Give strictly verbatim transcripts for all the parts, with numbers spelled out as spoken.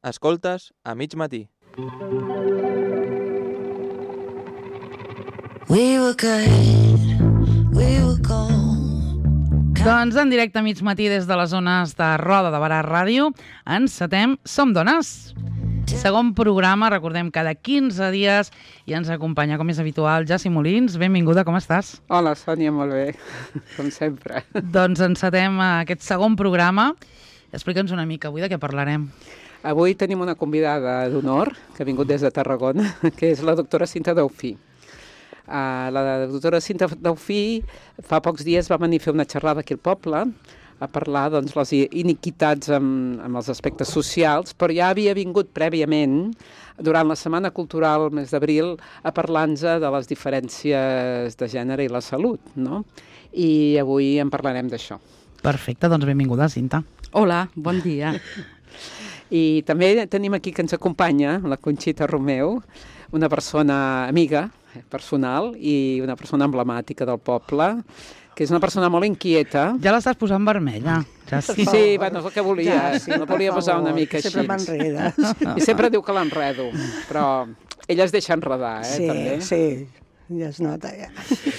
Escoltes a mig matí. We were good, we were gold. Doncs en directe a mig matí des de les zones de Roda de Barà Ràdio encetem Som Dones. Segon programa, recordem, cada quinze dies i ens acompanya, com és habitual, Jassi Molins. Benvinguda, com estàs? Hola, Sònia, molt bé, com sempre. Doncs encetem aquest segon programa. Explica'ns una mica avui de què parlarem. Avui tenim una convidada d'honor que ha vingut des de Tarragona, que és la doctora Cinta Daufí. Uh, la doctora Cinta Daufí fa pocs dies va venir a fer una xerrada aquí al poble a parlar, doncs, les iniquitats amb, amb els aspectes socials, però ja havia vingut prèviament, durant la Setmana Cultural, el mes d'abril, a parlar-nos de les diferències de gènere i la salut, no? I avui en parlarem d'això. Perfecte, doncs benvinguda, Cinta. Hola, bon dia. I també tenim aquí que ens acompanya la Conxita Romeu, una persona amiga, personal, i una persona emblemàtica del poble, que és una persona molt inquieta. Ja l'estàs posant vermella. Ja sí. Sí, bueno, és el que volia. Ja, sí, la volia posar una mica sempre així. Sempre m'enredes. I sempre diu que l'enredo, però ella es deixa enredar, eh, sí, també. Sí, ja es nota, ja.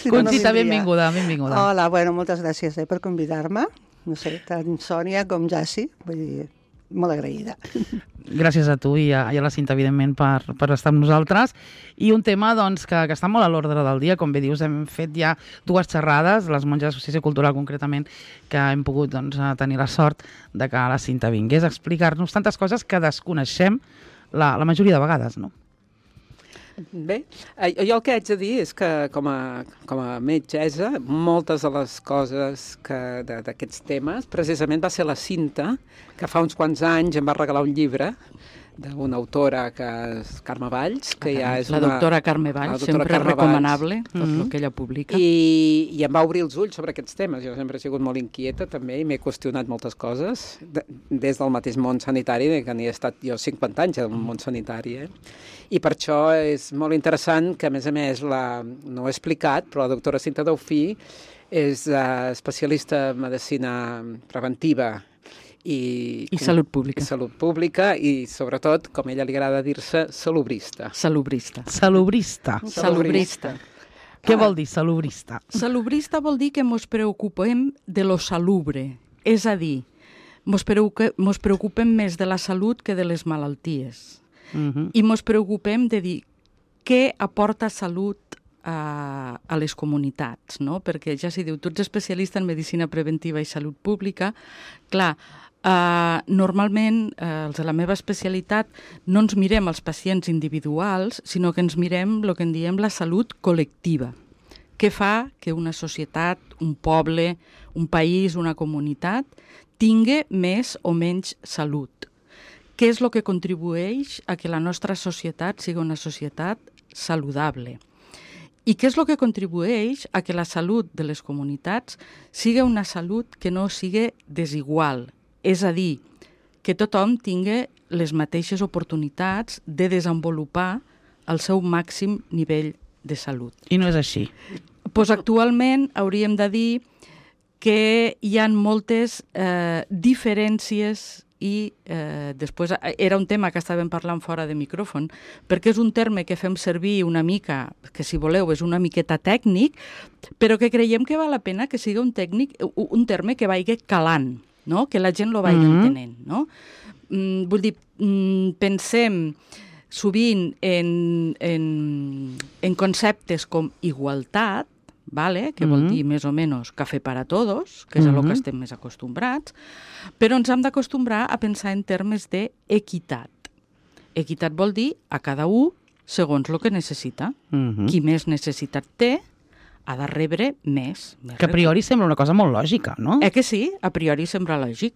Conxita, benvinguda, benvinguda. Hola, bueno, moltes gràcies eh, per convidar-me. No sé, tant Sònia com Jassi, vull dir, molt agraïda. Gràcies a tu i a, i a la Cinta, evidentment, per, per estar amb nosaltres. I un tema doncs, que, que està molt a l'ordre del dia. Com bé dius, hem fet ja dues xerrades, les monges d'Associació Cultural concretament, que hem pogut doncs, tenir la sort de que la Cinta vingués a explicar-nos tantes coses que desconeixem la, la majoria de vegades, no? Bé, jo el que haig de dir és que com a, com a metgessa, moltes de les coses que d'aquests temes, precisament va ser la Cinta, que fa uns quants anys em va regalar un llibre d'una autora que és Carme Valls, que ja és la una... doctora Carme Valls, doctora sempre Carme recomanable, Valls. tot mm-hmm. el que ella publica. I, I em va obrir els ulls sobre aquests temes. Jo sempre he sigut molt inquieta també i m'he qüestionat moltes coses, de, des del mateix món sanitari, que n'hi he estat jo cinquanta anys al món sanitari, eh? I per això és molt interessant que, a més a més, la, no ho he explicat, però la doctora Cinta Daufí és uh, especialista en medicina preventiva i, I salut pública. I salut pública i, sobretot, com a ella li agrada dir-se, salubrista. Salubrista. Salubrista. Salubrista. Què vol dir salubrista? Salubrista vol dir que mos preocupem de lo salubre, és a dir, mos, preocupe, mos preocupem més de la salut que de les malalties. Uh-huh. I mos preocupem de dir què aporta salut a, a les comunitats, no? Perquè ja s'hi diu, tu ets especialista en medicina preventiva i salut pública, clar, Uh, normalment, uh, els de la meva especialitat, no ens mirem els pacients individuals, sinó que ens mirem el que en diem la salut col·lectiva. Què fa que una societat, un poble, un país, una comunitat, tingui més o menys salut? Què és el que contribueix a que la nostra societat sigui una societat saludable? I què és el que contribueix a que la salut de les comunitats sigui una salut que no sigui desigual? És a dir, que tothom tingui les mateixes oportunitats de desenvolupar el seu màxim nivell de salut. I no és així. Pues actualment hauríem de dir que hi ha moltes eh, diferències i eh, després era un tema que estàvem parlant fora de micròfon, perquè és un terme que fem servir una mica, que si voleu és una miqueta tècnic, però que creiem que val la pena que sigui un, tècnic, un terme que vagi calant, no? Que la gent lo vagi mm-hmm. entenent, no? Mm, vull dir, mm, pensem sovint en, en, en conceptes com igualtat, vale? Que mm-hmm. vol dir més o menys cafè per a tots, que és mm-hmm. a lo que estem més acostumbrats, però ens hem d'acostumbrar a pensar en termes d'equitat. Equitat vol dir a cada un segons el que necessita. Mm-hmm. Qui més necessitat té, ha de rebre més. més que a priori sembla una cosa molt lògica, no? Eh que sí? A priori sembla lògic.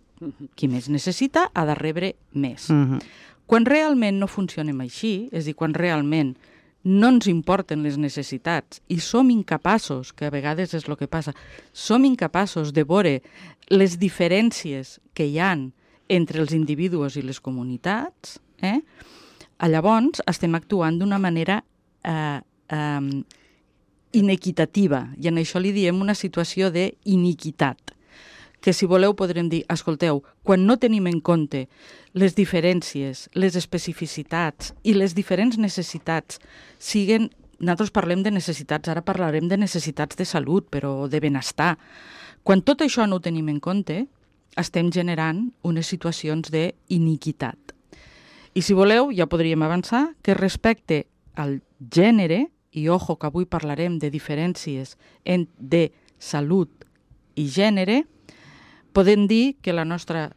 Qui més necessita ha de rebre més. Uh-huh. Quan realment no funcionem així, és a dir, quan realment no ens importen les necessitats i som incapaços, que a vegades és el que passa, som incapaços de veure les diferències que hi ha entre els individus i les comunitats, eh? Llavors estem actuant d'una manera eh, eh, inequitativa, i en això li diem una situació d'iniquitat. que si voleu podrem dir, escolteu, quan no tenim en compte les diferències, les especificitats i les diferents necessitats, siguen, nosaltres parlem de necessitats, ara parlarem de necessitats de salut, però de benestar. Quan tot això no ho tenim en compte, estem generant unes situacions d'iniquitat. I si voleu, ja podríem avançar, que respecte al gènere, i ojo que avui parlarem de diferències en, de salut i gènere, podem dir que la nostra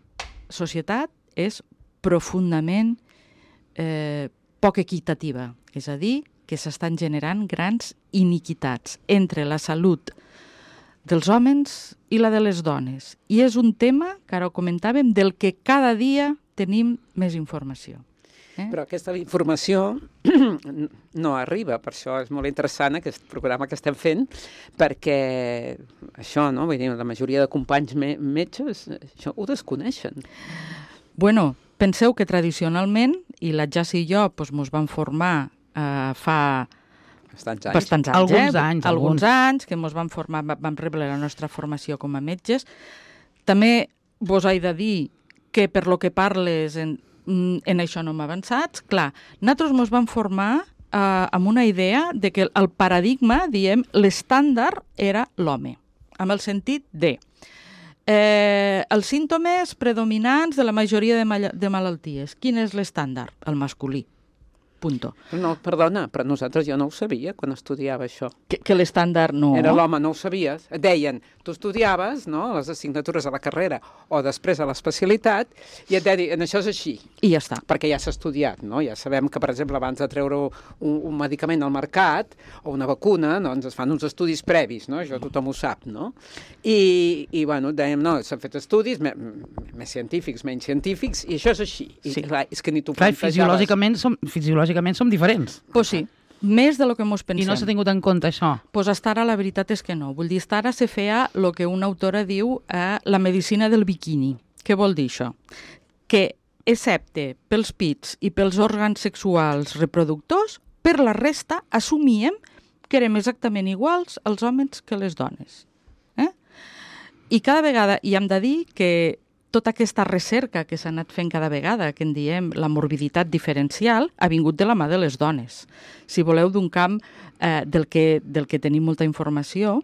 societat és profundament eh, poc equitativa, és a dir, que s'estan generant grans iniquitats entre la salut dels homes i la de les dones. I és un tema, que ara ho comentàvem, del que cada dia tenim més informació. Eh? Però aquesta informació no arriba, per això és molt interessant aquest programa que estem fent, perquè això, no? Vull dir, la majoria de companys me metges això ho desconeixen. Bueno, penseu que tradicionalment, i la Jassi i jo doncs, mos vam formar eh, fa bastants anys, bastants anys, alguns eh? anys, alguns anys, que mos vam formar, vam rebre la nostra formació com a metges. També vos he de dir que per lo que parles en, en això no hem avançat. Clar, nosaltres mos vam formar eh, amb una idea de que el paradigma, diem, l'estàndard era l'home, amb el sentit de eh, els símptomes predominants de la majoria de, mal de malalties. Quin és l'estàndard? El masculí. Punto. No, perdona, però nosaltres jo no ho sabia quan estudiava això. Que, que l'estàndard no... Era l'home, no ho sabies. Et deien, tu estudiaves, no?, les assignatures a la carrera o després a l'especialitat, i et deien, això és així. I ja està. Perquè ja s'ha estudiat, no? Ja sabem que, per exemple, abans de treure un, un medicament al mercat o una vacuna, doncs es fan uns estudis previs, no? Això tothom ho sap, no? I, i bueno, dèiem, no, s'han fet estudis me, més científics, menys científics, i això és així. I, sí. Clar, és que ni tu clar, plantejaves... fisiològicament som, fisiològicament som diferents. Pues sí, més de lo que mos pensem. I no s'ha tingut en compte això. Pues hasta ara la veritat és que no. Vull dir, hasta ara se feia el que una autora diu eh, la medicina del biquini. Què vol dir això? Que, excepte pels pits i pels òrgans sexuals reproductors, per la resta assumíem que érem exactament iguals els homes que les dones. Eh? I cada vegada, i hem de dir que tota aquesta recerca que s'ha anat fent cada vegada, que en diem la morbiditat diferencial, ha vingut de la mà de les dones. Si voleu, d'un camp eh, del, que, del que tenim molta informació,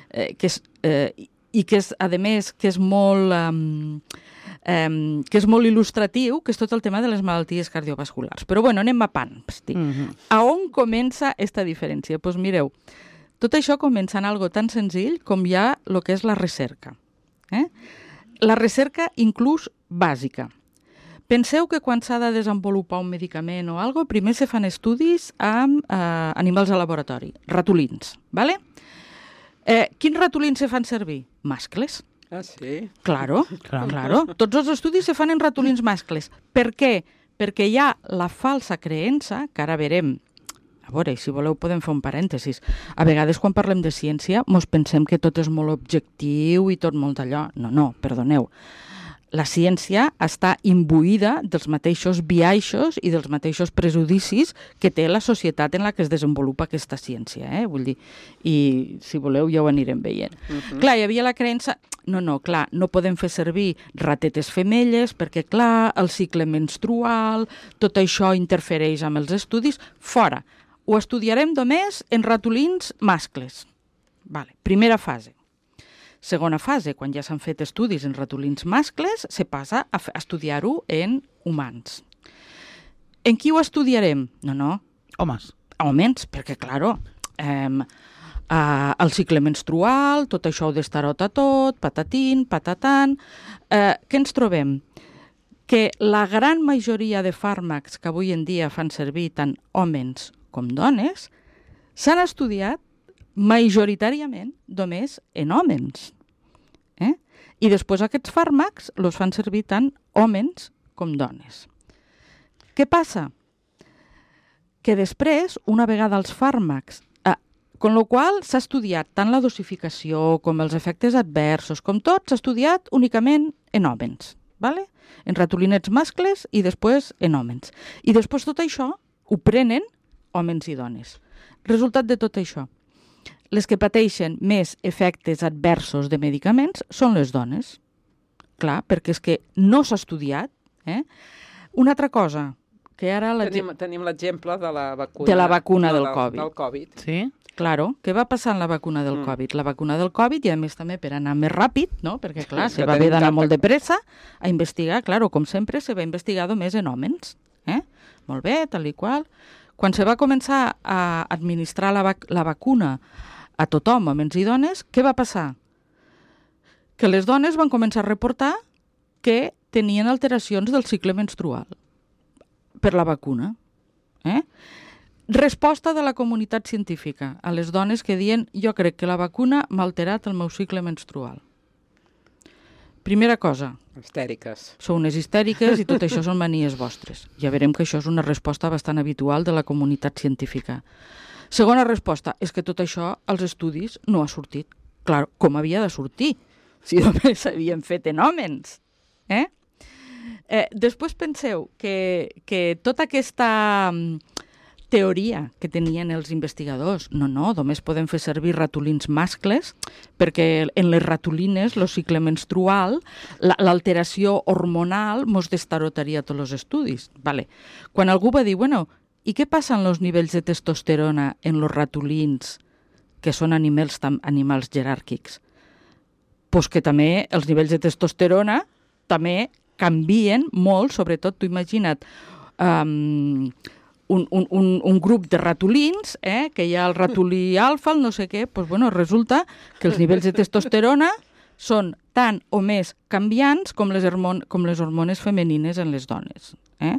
eh, que és, eh, i que és, a més, que és molt... Eh, eh, que és molt il·lustratiu, que és tot el tema de les malalties cardiovasculars. Però bueno, anem a pams. Mm-hmm. A on comença aquesta diferència? Doncs pues mireu, tot això comença en algo tan senzill com ja el que és la recerca. Eh? La recerca inclús bàsica. Penseu que quan s'ha de desenvolupar un medicament o alguna cosa, primer se fan estudis amb eh, animals de laboratori, ratolins, ¿vale? Eh, quins ratolins se fan servir? Mascles. Ah, sí? Claro, claro, claro. Tots els estudis se fan en ratolins mascles. Per què? Perquè hi ha la falsa creença, que ara verem. A veure, si voleu podem fer un parèntesis. A vegades quan parlem de ciència mos pensem que tot és molt objectiu i tot molt allò. No, no, perdoneu. La ciència està imbuïda dels mateixos biaixos i dels mateixos prejudicis que té la societat en la que es desenvolupa aquesta ciència, eh? Vull dir, i si voleu ja ho anirem veient. Uh-huh. Clar, hi havia la creença... No, no, clar, no podem fer servir ratetes femelles perquè, clar, el cicle menstrual, tot això interfereix amb els estudis. Fora. Ho estudiarem només en ratolins mascles. Vale. Primera fase. Segona fase, quan ja s'han fet estudis en ratolins mascles, se passa a estudiar-ho en humans. En qui ho estudiarem? No, no. Homes. Homes, perquè, claro, eh, eh, el cicle menstrual, tot això ho destarota tot, patatín, patatan... Eh, què ens trobem? Que la gran majoria de fàrmacs que avui en dia fan servir tant homes com dones, s'han estudiat majoritàriament només en homes. Eh? I després aquests fàrmacs els fan servir tant homes com dones. Què passa? Que després, una vegada els fàrmacs, eh, con lo qual s'ha estudiat tant la dosificació com els efectes adversos, com tot, s'ha estudiat únicament en homes, ¿vale? En ratolinets mascles i després en homes. I després tot això ho prenen homes i dones. Resultat de tot això. Les que pateixen més efectes adversos de medicaments són les dones. clar, perquè és que no s'ha estudiat. Eh? Una altra cosa, que ara... La Tenim, tenim l'exemple de la vacuna... De la vacuna no, del del, Covid. Del Covid. Sí? Claro, què va passar amb la vacuna del Mm. Covid? La vacuna del Covid, i a més també per anar més ràpid, no? Perquè clar, Sí, se que va tenim haver d'anar tanta- molt de pressa a investigar, claro, com sempre se va investigar només en homes. Eh? Molt bé, tal i qual. Quan se va començar a administrar la, vac la vacuna a tothom, homes i dones, què va passar? Que les dones van començar a reportar que tenien alteracions del cicle menstrual per la vacuna. Eh? Resposta de la comunitat científica a les dones que diuen jo crec que la vacuna m'ha alterat el meu cicle menstrual. Primera cosa, Histèriques. sou unes histèriques i tot això són manies vostres. Ja veurem que això és una resposta bastant habitual de la comunitat científica. Segona resposta, és que tot això als estudis no ha sortit. Clar, com havia de sortir? Si només s'havien fet en homes. Eh? Eh, després penseu que, que tota aquesta mm, teoria que tenien els investigadors, no, no, només podem fer servir ratolins mascles perquè en les ratolines el cicle menstrual, l'alteració hormonal mos destarotaria tots els estudis. Vale. Quan algú va dir, bueno, i què passa amb els nivells de testosterona en els ratolins, que són animals, animals jeràrquics? Pues que també els nivells de testosterona també canvien molt, sobretot, tu imagina't, um, un, un, un, un grup de ratolins, eh, que hi ha el ratolí alfa, el no sé què, pues, bueno, resulta que els nivells de testosterona són tan o més canviants com les, hormon com les hormones femenines en les dones. Eh?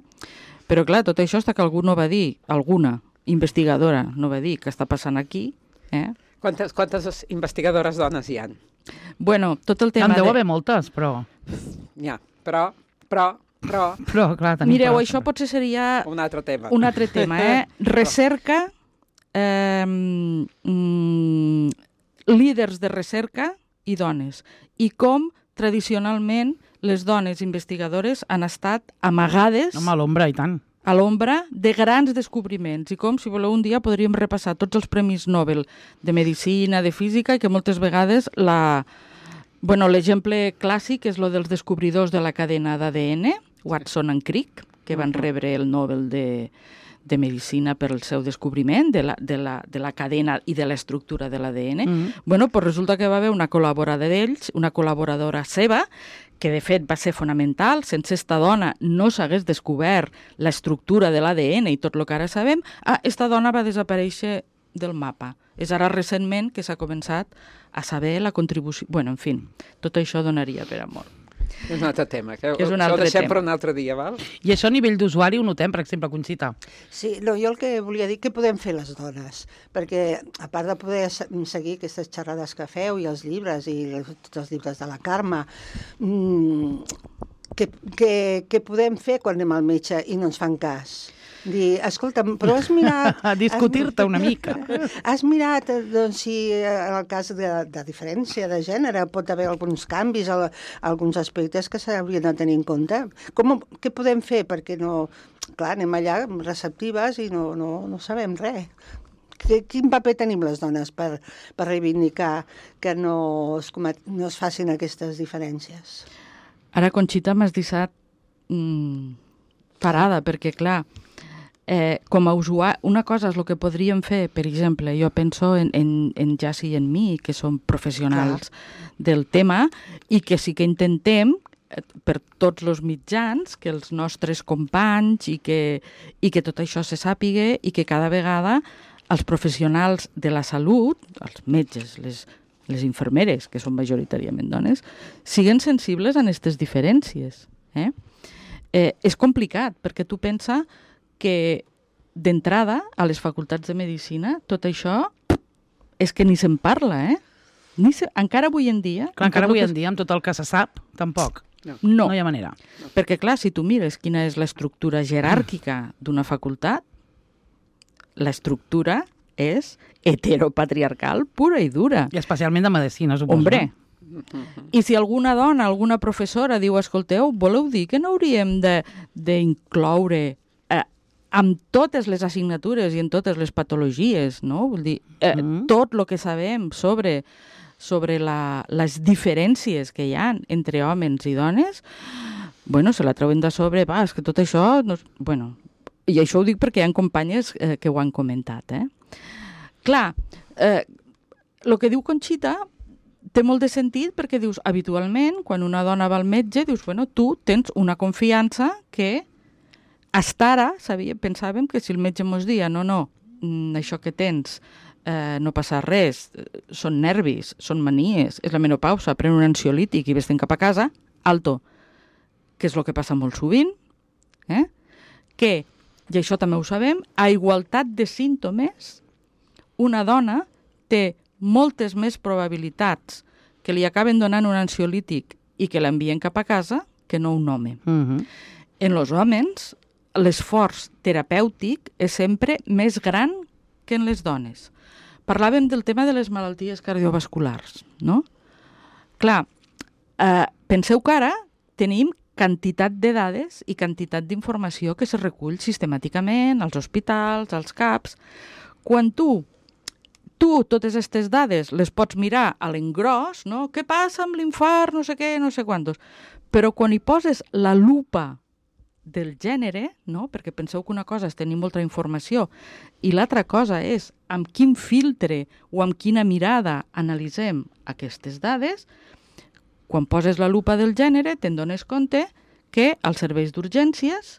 Però, clar, tot això està que algú no va dir, alguna investigadora no va dir què està passant aquí. Eh? Quantes, quantes investigadores dones hi ha? Bueno, tot el tema... En deu de... haver moltes, però... Ja, però, però, però... Però, clar, tenim... Mireu, prou. això potser seria Un altre tema. un altre tema, eh? Recerca, eh, mm, líders de recerca i dones. I com, tradicionalment, les dones investigadores han estat amagades... Home, a l'ombra, i tant. A l'ombra de grans descobriments i com, si voleu, un dia podríem repassar tots els premis Nobel de Medicina, de Física, i que moltes vegades la... Bueno, l'exemple clàssic és lo dels descobridors de la cadena d'A D N, Watson and Crick, que van rebre el Nobel de, de Medicina per el seu descobriment de la, de la, de la cadena i de l'estructura de l'A D N. Mm-hmm. Bueno, pues resulta que va haver una col·laboradora d'ells, una col·laboradora seva, que de fet va ser fonamental, sense esta dona no s'hagués descobert l'estructura de l'A D N i tot el que ara sabem, ah, esta dona va desaparèixer del mapa. És ara recentment que s'ha començat a saber la contribució... Bueno, en fi, tot això donaria per amor. És un altre tema, que, És un això altre ho deixem tema. per un altre dia, val? I això a nivell d'usuari ho notem, per exemple, Conxita. Sí, no, jo el que volia dir, què podem fer les dones? Perquè, a part de poder se- seguir aquestes xerrades que feu i els llibres, i els- tots els llibres de la Carme, mmm, què, què, què podem fer quan anem al metge i no ens fan cas? Dir, escolta'm, però has mirat... A discutir-te has- una mica. Has mirat, eh, doncs, si eh, en el cas de, de diferència de gènere pot haver alguns canvis, al- alguns aspectes que s'haurien de tenir en compte. Com, què podem fer? Perquè no... Clar, anem allà receptives i no, no, no sabem res. Que- Quin paper tenim les dones per, per reivindicar que no es, comet, no es facin aquestes diferències? Ara, Conxita, m'has deixat mm, parada, perquè, clar, eh, com a usuari, una cosa és el que podríem fer, per exemple, jo penso en, en, en Jassi i en mi, que som professionals del tema, i que sí que intentem, eh, per tots els mitjans, que els nostres companys i que, i que tot això se sàpiga i que cada vegada els professionals de la salut, els metges, les, les infermeres, que són majoritàriament dones, siguen sensibles a aquestes diferències. Eh? Eh, és complicat, perquè tu pensa que d'entrada a les facultats de Medicina tot això és que ni se'n parla, eh? Ni se... Encara avui en dia... Clar, encara avui en moltes- dia, amb tot el que se sap, tampoc. No, No hi ha manera. perquè clar, si tu mires quina és l'estructura jeràrquica d'una facultat, l'estructura és heteropatriarcal pura i dura. I especialment de medicina, suposo. Hombre, i si alguna dona, alguna professora diu, escolteu, voleu dir que no hauríem de- d'incloure eh, amb totes les assignatures i en totes les patologies, no? Vull dir, eh, Mm. tot el que sabem sobre sobre la, les diferències que hi ha entre homes i dones, bueno, se la treuen de sobre, va, és que tot això... No... Bueno, i això ho dic perquè hi ha companyes eh, que ho han comentat, eh? Clar, eh, el que diu Conxita té molt de sentit perquè dius, habitualment, quan una dona va al metge, dius, bueno, tu tens una confiança que hasta ara sabia, pensàvem que si el metge mos dia, no, no, això que tens eh, no passa res, són nervis, són manies, és la menopausa, pren un ansiolític i vés-te'n cap a casa, alto, que és el que passa molt sovint, eh? Que, i això també ho sabem, a igualtat de símptomes, una dona té moltes més probabilitats que li acaben donant un ansiolític i que l'envien cap a casa que no un home. Uh-huh. En els homes, l'esforç terapèutic és sempre més gran que en les dones. Parlàvem del tema de les malalties cardiovasculars, no? Clar, eh, penseu que ara tenim quantitat de dades i quantitat d'informació que se recull sistemàticament als hospitals, als CAPs. Quan tu tu totes aquestes dades les pots mirar a l'engròs, no? Què passa amb l'infart, no sé què, no sé quantos. Però quan hi poses la lupa del gènere, no? Perquè penseu que una cosa és tenir molta informació i l'altra cosa és amb quin filtre o amb quina mirada analitzem aquestes dades, quan poses la lupa del gènere te'n dones compte que als serveis d'urgències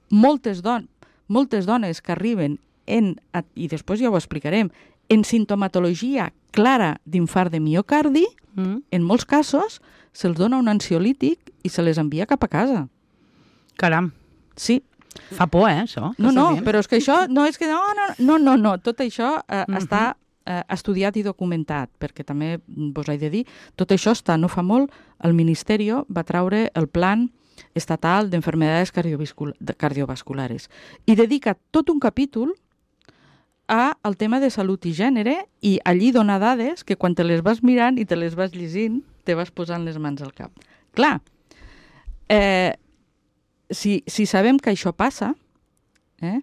moltes, don moltes dones que arriben en, i després ja ho explicarem, en sintomatologia clara d'infart de miocardi, mm. en molts casos se'ls dona un ansiolític i se les envia cap a casa. Caram. Sí. Fa por, eh, això? No, no, però és que això no és que... No, no, no, no, no. Tot això eh, mm-hmm. està eh, estudiat i documentat, perquè també vos he de dir, tot això està, no fa molt, el Ministeri va traure el Plan Estatal d'Enfermedades Cardiovasculares i dedica tot un capítol a el tema de salut i gènere i allí dona dades que quan te les vas mirant i te les vas llegint te vas posant les mans al cap. Clar, eh, si, si sabem que això passa, eh,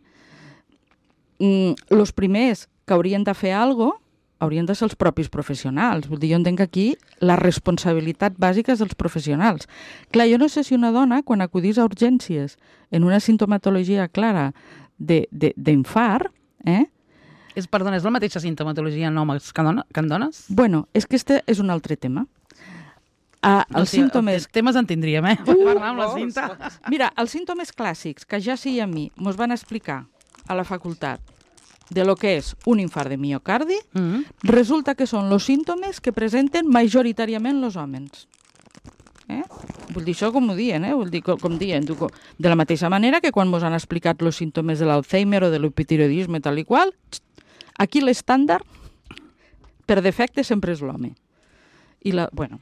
els primers que haurien de fer alguna cosa haurien de ser els propis professionals. Vull dir, jo entenc que aquí la responsabilitat bàsica és dels professionals. Clar, jo no sé si una dona, quan acudís a urgències en una sintomatologia clara d'infart, eh, És, perdona, és la mateixa sintomatologia en homes que en dones? Bueno, és que este és un altre tema. Uh, no, els sí, símptomes... Els temes en tindríem, eh? Uh, parlar amb la Cinta. Mira, els símptomes clàssics que ja sí a mi mos van explicar a la facultat de lo que és un infart de miocardi, uh -huh. resulta que són els símptomes que presenten majoritàriament els homes. Eh? Vull dir, això com ho diuen, eh? Vull dir, com, com diuen, tu, de la mateixa manera que quan mos han explicat els símptomes de l'Alzheimer o de l'hipotiroidisme tal i qual, aquí l'estàndard, per defecte, sempre és l'home. I la, bueno,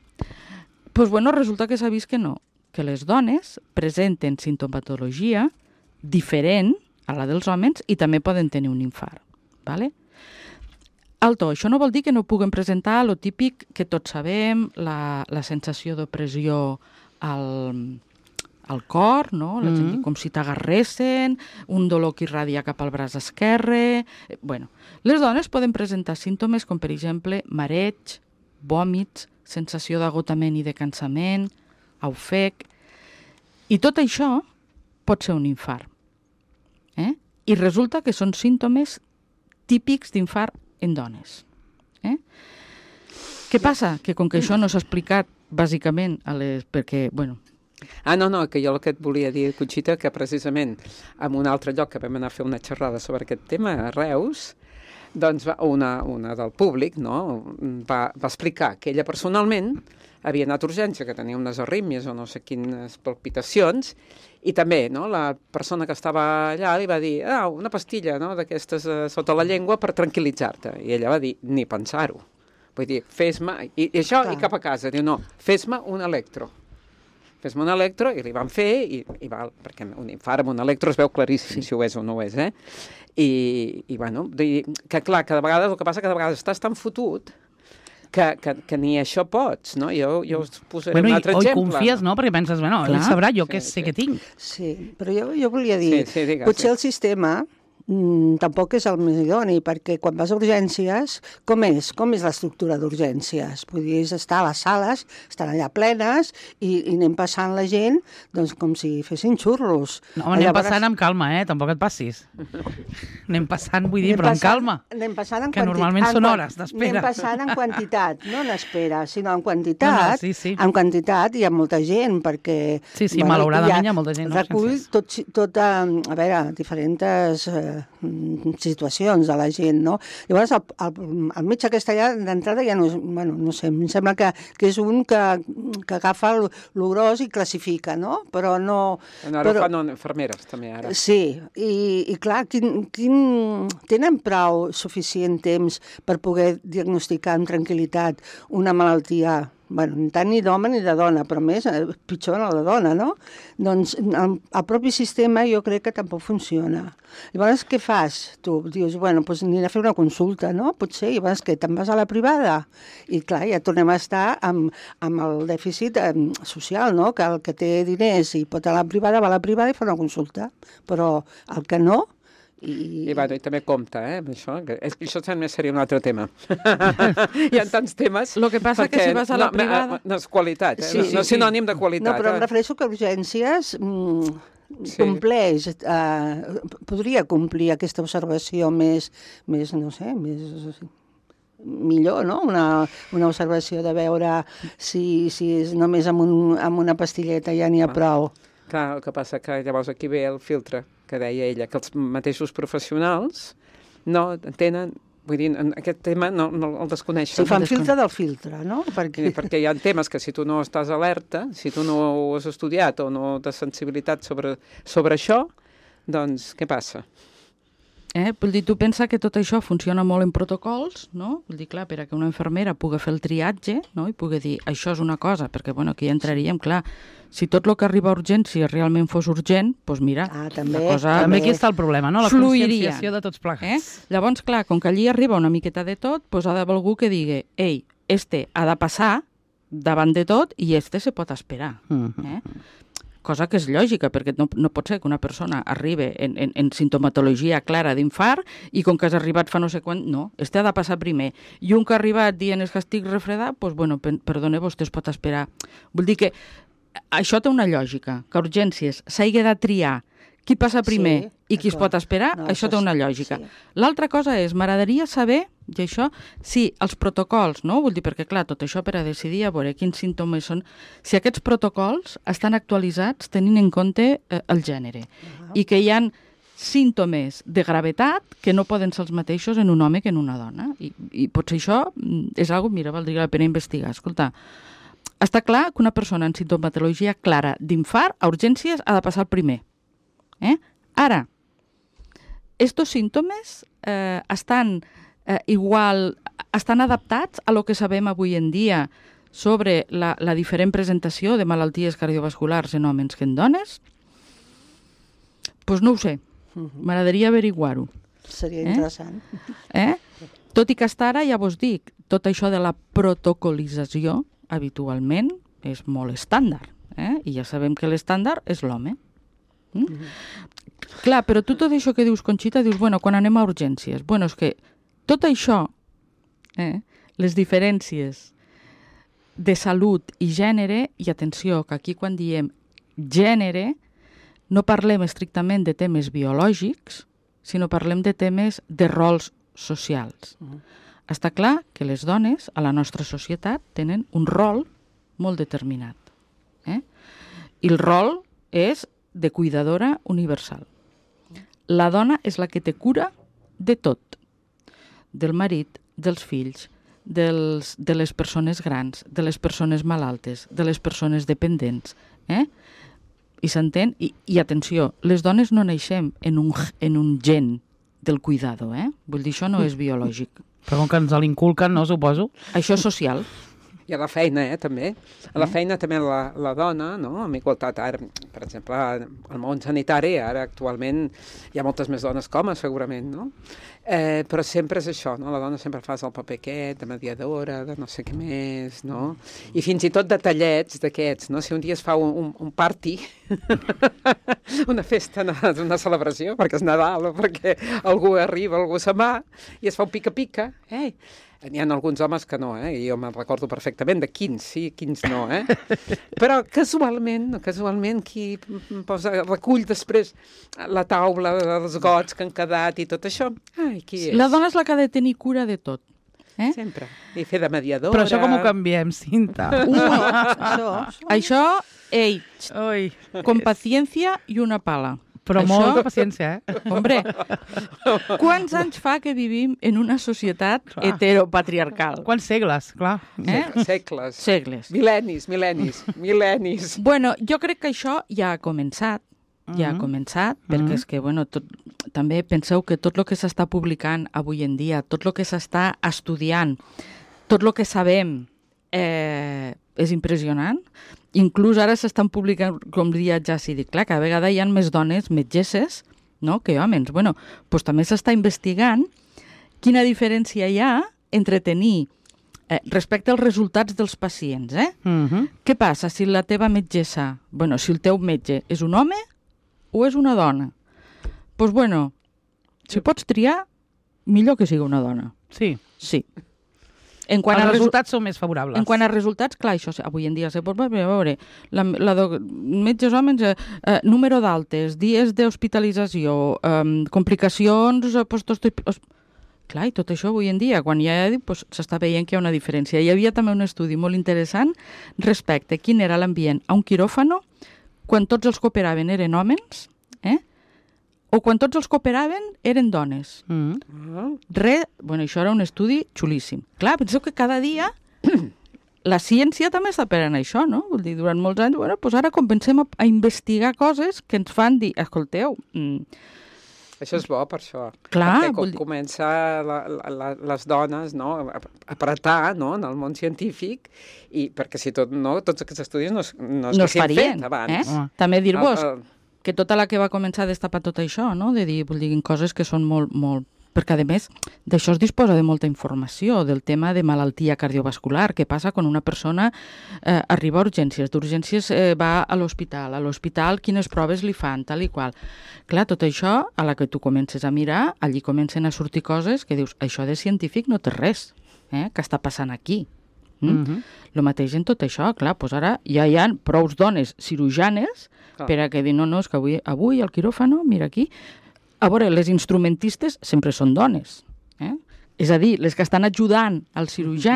pues bueno, resulta que s'ha vist que no, que les dones presenten sintomatologia diferent a la dels homes i també poden tenir un infart. ¿Vale? Alto, això no vol dir que no puguem presentar lo típic que tots sabem, la, la sensació d'opressió al, al cor, no? La gent, mm. com si t'agarressin, un dolor que irradia cap al braç esquerre... Bueno, les dones poden presentar símptomes com, per exemple, mareig, vòmits, sensació d'agotament i de cansament, ofec... I tot això pot ser un infart. Eh? I resulta que són símptomes típics d'infart en dones. Eh? Què passa? Que com que això no s'ha explicat bàsicament a les... perquè, bueno... Ah, no, no, que jo el que et volia dir, Conxita, que precisament en un altre lloc que vam anar a fer una xerrada sobre aquest tema, a Reus, doncs va, una, una del públic, no?, va, va explicar que ella personalment havia anat a urgència, que tenia unes arrítmies o no sé quines palpitacions, i també, no, la persona que estava allà li va dir, ah, una pastilla, no?, d'aquestes eh, sota la llengua per tranquil·litzar-te. I ella va dir, ni pensar-ho. Vull dir, fes-me... I, i això, Clar. I cap a casa. Diu, no, fes-me un electro. Fes-me un electro, i li van fer, i, i val, perquè un infart amb un electro es veu claríssim, sí. si ho és o no ho és, eh? I, i bueno, que clar, que de vegades, el que passa que de vegades estàs tan fotut que, que, que ni això pots, no? Jo, jo us posaré bueno, un altre i, exemple. O confies, no? Perquè penses, bueno, ell sabrà, jo sí, què sé sí. que tinc. Sí, però jo, jo volia dir, sí, sí, digues, potser sí. el sistema mm, tampoc és el més idoni, perquè quan vas a urgències, com és? Com és l'estructura d'urgències? Vull dir, és estar a les sales, estan allà plenes, i, i anem passant la gent doncs, com si fessin xurros. No, anem Llavors... passant amb calma, eh? Tampoc et passis. Anem passant, vull dir, anem però passant, amb calma. Anem passant en que quantitat. Normalment són hores d'espera. Anem passant en quantitat, no en espera, sinó en quantitat. No, no, sí, sí. En quantitat hi ha molta gent, perquè... Sí, sí, bueno, malauradament hi ha, hi ha molta gent. Recull no, tot, tot, a, a veure, diferents eh, situacions de la gent, no? Llavors, el, el, el metge castellà d'entrada ja no és... Bueno, no sé, em sembla que, que és un que, que agafa el gros i classifica, no? Però no... No, ara però... fan infermeres, també, ara. Sí, i, i clar, quin, quin... tenen prou suficient temps per poder diagnosticar amb tranquil·litat una malaltia, bueno, tant ni d'home ni de dona, però més, pitjor la de dona, no? Doncs el, el propi sistema jo crec que tampoc funciona. Llavors, què fas? Tu dius, bueno, doncs aniré a fer una consulta, no? Potser, i llavors que te'n vas a la privada? I clar, ja tornem a estar amb, amb el dèficit eh, social, no? Que el que té diners i pot anar a la privada, va a la privada i fa una consulta. Però el que no... I... I, bueno, i també compta, eh, amb això. És que això també seria un altre tema. Hi ha tants temes... Lo que passa perquè, que si vas a la no, privada... No és qualitat, eh? Sí, no, sí, no és sinònim de qualitat. No, però em eh? refereixo que urgències mm, sí. compleix, eh, podria complir aquesta observació més, més no sé, més... millor, no? Una, una observació de veure si, si és només amb, un, amb una pastilleta ja n'hi ha ah. prou. Clar, el que passa que llavors aquí ve el filtre, que deia ella, que els mateixos professionals no tenen, vull dir, en aquest tema no, no el desconeixen. Si fan filtre del filtre, no? Perquè... perquè hi ha temes que si tu no estàs alerta, si tu no ho has estudiat o no tens sensibilitat sobre, sobre això, doncs què passa? Eh? Vull dir, tu pensa que tot això funciona molt en protocols, no? Vull dir, clar, per a que una infermera pugui fer el triatge, no? I pugui dir, això és una cosa, perquè, bueno, aquí entraríem, clar, si tot el que arriba a urgència realment fos urgent, doncs mira, ah, també, la cosa... També aquí està el problema, no? La fluiria. conscienciació de tots plegats. Eh? Llavors, clar, com que allí arriba una miqueta de tot, doncs ha d'haver algú que digui, ei, este ha de passar davant de tot i este se pot esperar. Eh? Cosa que és lògica, perquè no, no pot ser que una persona arribi en, en, en sintomatologia clara d'infart i com que has arribat fa no sé quan, no, este ha de passar primer. I un que ha arribat dient és que estic refredat, doncs, bueno, perdone, vostè es pot esperar. Vull dir que això té una lògica, que a urgències s'hagi de triar qui passa primer sí, i qui es pot esperar, no, això té una lògica. Sí. L'altra cosa és, m'agradaria saber, i això, si els protocols, no? Vull dir, perquè clar, tot això per a decidir a veure quins símptomes són, si aquests protocols estan actualitzats tenint en compte eh, el gènere, uh-huh. i que hi ha símptomes de gravetat que no poden ser els mateixos en un home que en una dona. I, i potser això és una cosa, mira, valdria la pena investigar. Escolta, està clar que una persona en sintomatologia clara d'infart a urgències ha de passar el primer. Eh? Ara, estos símptomes eh, estan eh, igual, estan adaptats a lo que sabem avui en dia sobre la, la diferent presentació de malalties cardiovasculars en homes que en dones? Doncs pues no ho sé. M'agradaria averiguar-ho. Seria eh? interessant. Eh? Tot i que hasta ara, ja vos dic, tot això de la protocolització habitualment és molt estàndard. Eh? I ja sabem que l'estàndard és l'home. Mm? Mm-hmm. Clar, però tu tot això que dius, Conxita, dius, bueno, quan anem a urgències, bueno, és que tot això, eh, les diferències de salut i gènere, i atenció, que aquí quan diem gènere, no parlem estrictament de temes biològics, sinó parlem de temes de rols socials. Mm. Està clar que les dones a la nostra societat tenen un rol molt determinat. Eh? I el rol és de cuidadora universal. La dona és la que té cura de tot. Del marit, dels fills, dels, de les persones grans, de les persones malaltes, de les persones dependents. Eh? I s'entén? I, I atenció, les dones no naixem en un, en un gen del cuidado, eh? Vull dir, això no és biològic. Però com que ens l'inculquen, no, suposo? Això és social. I a la feina, eh, també. A la feina també la, la dona, no?, amb igualtat. Ara, per exemple, al món sanitari, ara actualment hi ha moltes més dones que homes, segurament, no? Eh, però sempre és això, no? La dona sempre fa el paper aquest, de mediadora, de no sé què més, no? I fins i tot detallets d'aquests, no? Si un dia es fa un, un, un party, una festa, una celebració, perquè és Nadal o perquè algú arriba, algú se'n va, i es fa un pica-pica, eh? N'hi ha alguns homes que no, eh? Jo me'n recordo perfectament de quins sí, quins no, eh? Però casualment, casualment, qui posa, recull després la taula, els gots que han quedat i tot això, ai, qui és? La dona és la que ha de tenir cura de tot. Eh? Sempre. I fer de mediadora... Però això com ho canviem, Cinta? Uh, això, això, ei, Ui. con paciencia i una pala. Però això, molta paciència, eh? Hombre, quants anys fa que vivim en una societat clar. heteropatriarcal? Quants segles, clar. Eh? Segles. Segles. Mil·lennis, mil·lennis, mil·lennis. Bueno, jo crec que això ja ha començat, ja ha començat, perquè Mm-hmm. és que, bueno, tot, també penseu que tot el que s'està publicant avui en dia, tot el que s'està estudiant, tot el que sabem eh, és impressionant. Inclús ara s'estan publicant, com dia ja s'hi dic, clar, cada vegada hi ha més dones metgesses, no?, que homes. Bueno, doncs també s'està investigant quina diferència hi ha entre tenir, eh, respecte als resultats dels pacients, eh? Mm-hmm. Què passa si la teva metgessa, bueno, si el teu metge és un home o és una dona? Doncs, pues, bueno, si pots triar, millor que sigui una dona. Sí. Sí. En quant Els a resultats són més favorables. En quant a resultats, clar, això avui en dia se pot veure, a veure, la, la do, metges homes, eh, eh, número d'altes, dies d'hospitalització, eh, complicacions, eh, post-hospitalització... Clar, i tot això avui en dia, quan ja pues, s'està veient que hi ha una diferència. Hi havia també un estudi molt interessant respecte a quin era l'ambient a un quiròfano quan tots els que operaven eren homes, eh? O quan tots els que operaven eren dones. Mm. Re, bueno, això era un estudi xulíssim. Clar, penseu que cada dia la ciència també està per en això, no? Vull dir, durant molts anys, bueno, doncs ara comencem a, a investigar coses que ens fan dir, escolteu... Mm, això és bo, per això. clar, perquè com vull dir... comença la, la, la, les dones, no?, a apretar, no?, en el món científic, i perquè si tot, no, tots aquests estudis no, no es no es farien, fet abans. eh? També dir-vos El, el... que tota la que va començar a destapar tot això, no? De dir, vull dir, coses que són molt, molt... Perquè, a més, d'això es disposa de molta informació, del tema de malaltia cardiovascular, què passa quan una persona eh, arriba a urgències, d'urgències eh, va a l'hospital, a l'hospital quines proves li fan, tal i qual. Clar, tot això, a la que tu comences a mirar, allí comencen a sortir coses que dius, això de científic no té res, eh? Què està passant aquí? Mm? Mm-hmm. El mateix en tot això, clar, doncs ara ja hi ha prous dones cirujanes Clar. per a que dir, no, no, és que avui, avui al quiròfano, mira aquí, a veure, les instrumentistes sempre són dones, eh? És a dir, les que estan ajudant al cirurgià...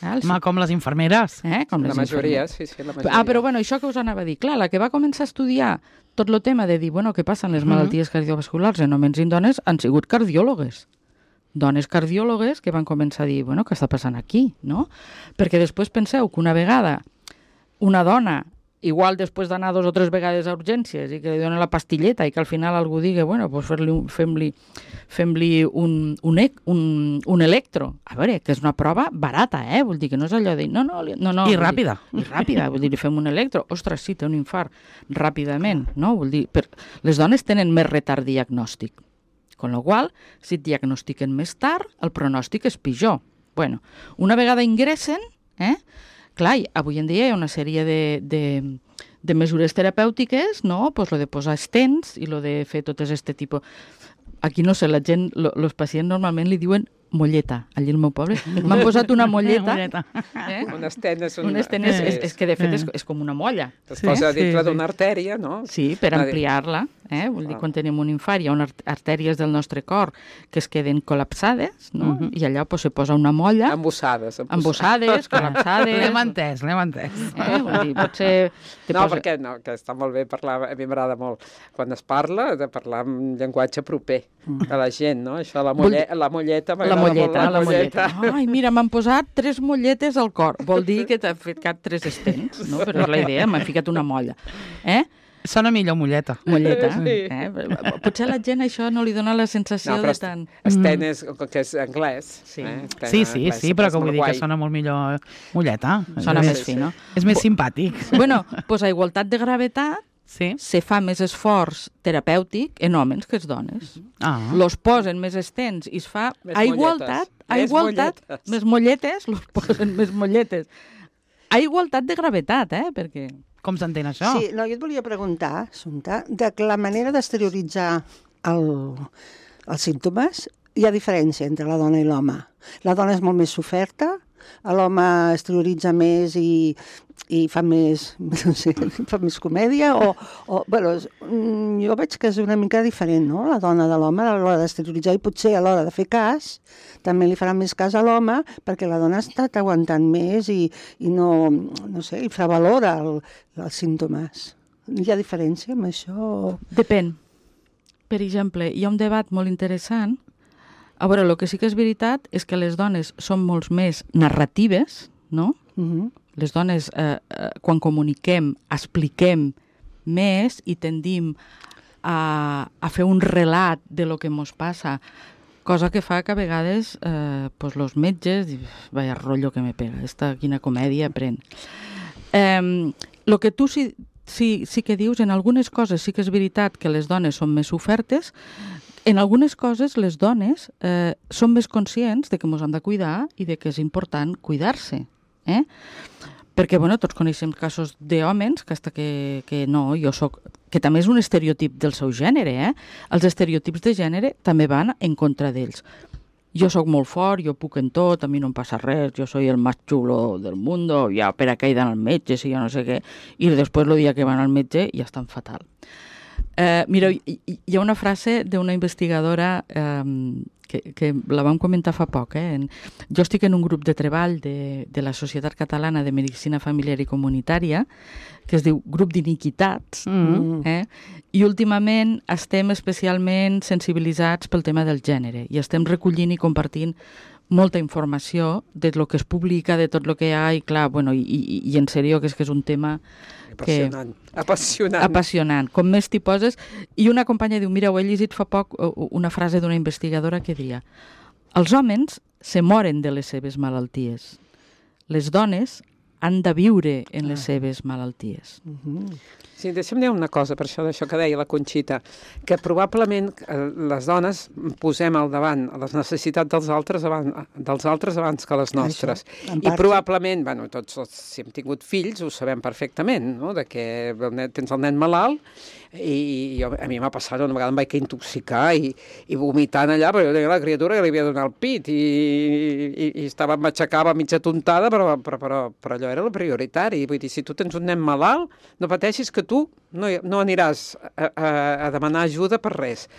Eh, el Home, com les infermeres. Eh, com La les majoria, infermeres. sí, sí, la majoria. Ah, però bueno, això que us anava a dir, clar, la que va començar a estudiar tot el tema de dir, bueno, què passa amb les malalties cardiovasculars en homes i en dones, han sigut cardiòlogues. Dones cardiòlogues que van començar a dir, bueno, què està passant aquí, no? Perquè després penseu que una vegada una dona, igual després d'anar dos o tres vegades a urgències i que li donen la pastilleta i que al final algú digui, bueno, doncs fem-li fem-li un, un, un, un electro. A veure, que és una prova barata, eh? Vull dir que no és allò de... No, no, no, no, I ràpida. Dir, I ràpida, vull dir, li fem un electro. Ostres, sí, té un infart ràpidament, no? Vull dir, per... les dones tenen més retard diagnòstic. Con la qual cosa, si et diagnostiquen més tard, el pronòstic és pitjor. Bueno, una vegada ingressen, eh? Clar, avui en dia hi ha una sèrie de, de, de mesures terapèutiques, no? Pues lo de posar stents i lo de fer tot aquest tipus... Aquí no sé, la gent, lo, los pacients normalment li diuen molleta, allí al meu poble. M'han posat una molleta. Eh? Eh? Un estent és un... Un estent és, és, és que de fet és, és com una molla. Es Sí, posa sí, dintre sí. d'una artèria, no? Sí, per Una- ampliar-la. Eh? Vull dir, Ah. quan tenim un infart hi ha unes artèries del nostre cor que es queden col·lapsades, no? Mhm. I allà pues, se posa una molla, Embossades. embossades, col·lapsades... L'hem entès, l'hem entès. Eh? Vull dir, potser... te No, posa- perquè no, que està molt bé parlar, a mi m'agrada molt, quan es parla, de parlar amb llenguatge proper de la gent, no? Això, la, molle, la molleta, La m'agrada molleta, molt la molleta. Ai, mira, m'han posat tres molletes al cor. Vol dir que t'ha ficat tres estents, no? Però és la idea, m'han ficat una molla. Eh? Sona millor molleta. Molleta. Sí. Eh? Potser a la gent això no li dona la sensació No, però de tant... Sten és, que és anglès. Sí. Eh? Sten Sí, sí, anglès, sí, però que és vull dir molt que guai. sona molt millor molleta. Sona És més fi, no? És més simpàtic. Bueno, doncs a igualtat de gravetat Sí? se fa més esforç terapèutic en homes que en dones. Ah. Los posen més estens i es fa Més a igualtat, molletes. a Més igualtat, molletes. més molletes, los posen més molletes. A igualtat de gravetat, eh? Perquè... Com s'entén això? Sí, no, jo et volia preguntar, Assumpta, de que la manera d'exterioritzar el, els símptomes, hi ha diferència entre la dona i l'home. La dona és molt més soferta, l'home exterioritza més i, i fa més, no sé, fa més comèdia, o, o bueno, jo veig que és una mica diferent, no?, la dona de l'home a l'hora d'exterioritzar, i potser a l'hora de fer cas també li farà més cas a l'home, perquè la dona ha estat aguantant més i, i no, no sé, infravalora el, els símptomes. Hi ha diferència amb això? Depèn. Per exemple, hi ha un debat molt interessant. A veure, el que sí que és veritat és que les dones són molt més narratives, no? Uh-huh. Les dones, eh, eh, quan comuniquem, expliquem més i tendim a, a fer un relat de lo que ens passa, cosa que fa que a vegades eh, pues los metges, vaya rotllo que me pega, esta quina comèdia pren. Eh, lo que tu sí, sí, sí que dius, en algunes coses sí que és veritat que les dones són més ofertes, en algunes coses les dones eh, són més conscients de que ens hem de cuidar i de que és important cuidar-se. Eh? Perquè, bueno, tots coneixem casos d'hòmens que hasta que, que no, jo soc... que també és un estereotip del seu gènere, eh? Els estereotips de gènere també van en contra d'ells. Jo sóc molt fort, jo puc en tot, a mi no em passa res, jo soy el más chulo del mundo, ja per a què he d'anar al metge, si jo no sé què, i després el dia que van al metge ja estan fatal. Eh, mireu, hi, hi ha una frase d'una investigadora eh, que, que la vam comentar fa poc. Eh? En, jo estic en un grup de treball de, de la Societat Catalana de Medicina Familiar i Comunitària, que es diu Grup d'Iniquitats, Mm. eh? I últimament estem especialment sensibilitzats pel tema del gènere i estem recollint i compartint molta informació de lo que es publica, de tot el que hi ha, i clar, bueno, i, i, i en sèrio que és que és un tema Apassionant. Que... Apassionant. apassionant. Com més t'hi poses... I una companya diu, mira, ho he llegit fa poc una frase d'una investigadora que deia els homes se moren de les seves malalties. Les dones han de viure en les seves malalties. Uh-huh. Sí, deixa'm dir una cosa per això d'això que deia la Conxita, que probablement eh, les dones posem al davant les necessitats dels altres abans, dels altres abans que les nostres. Això, en I part, probablement, bueno, tots els, si hem tingut fills ho sabem perfectament, no?, de que el nen, tens el nen malalt i jo, a mi m'ha passat una vegada em vaig intoxicar i, i vomitant allà, però jo tenia la criatura que li havia donat el pit i, i, i estava, m'aixecava mitja tontada, però, però, però, però allò era el prioritari. Vull dir, si tu tens un nen malalt, no pateixis que tu no, no aniràs a, a, a demanar ajuda per res.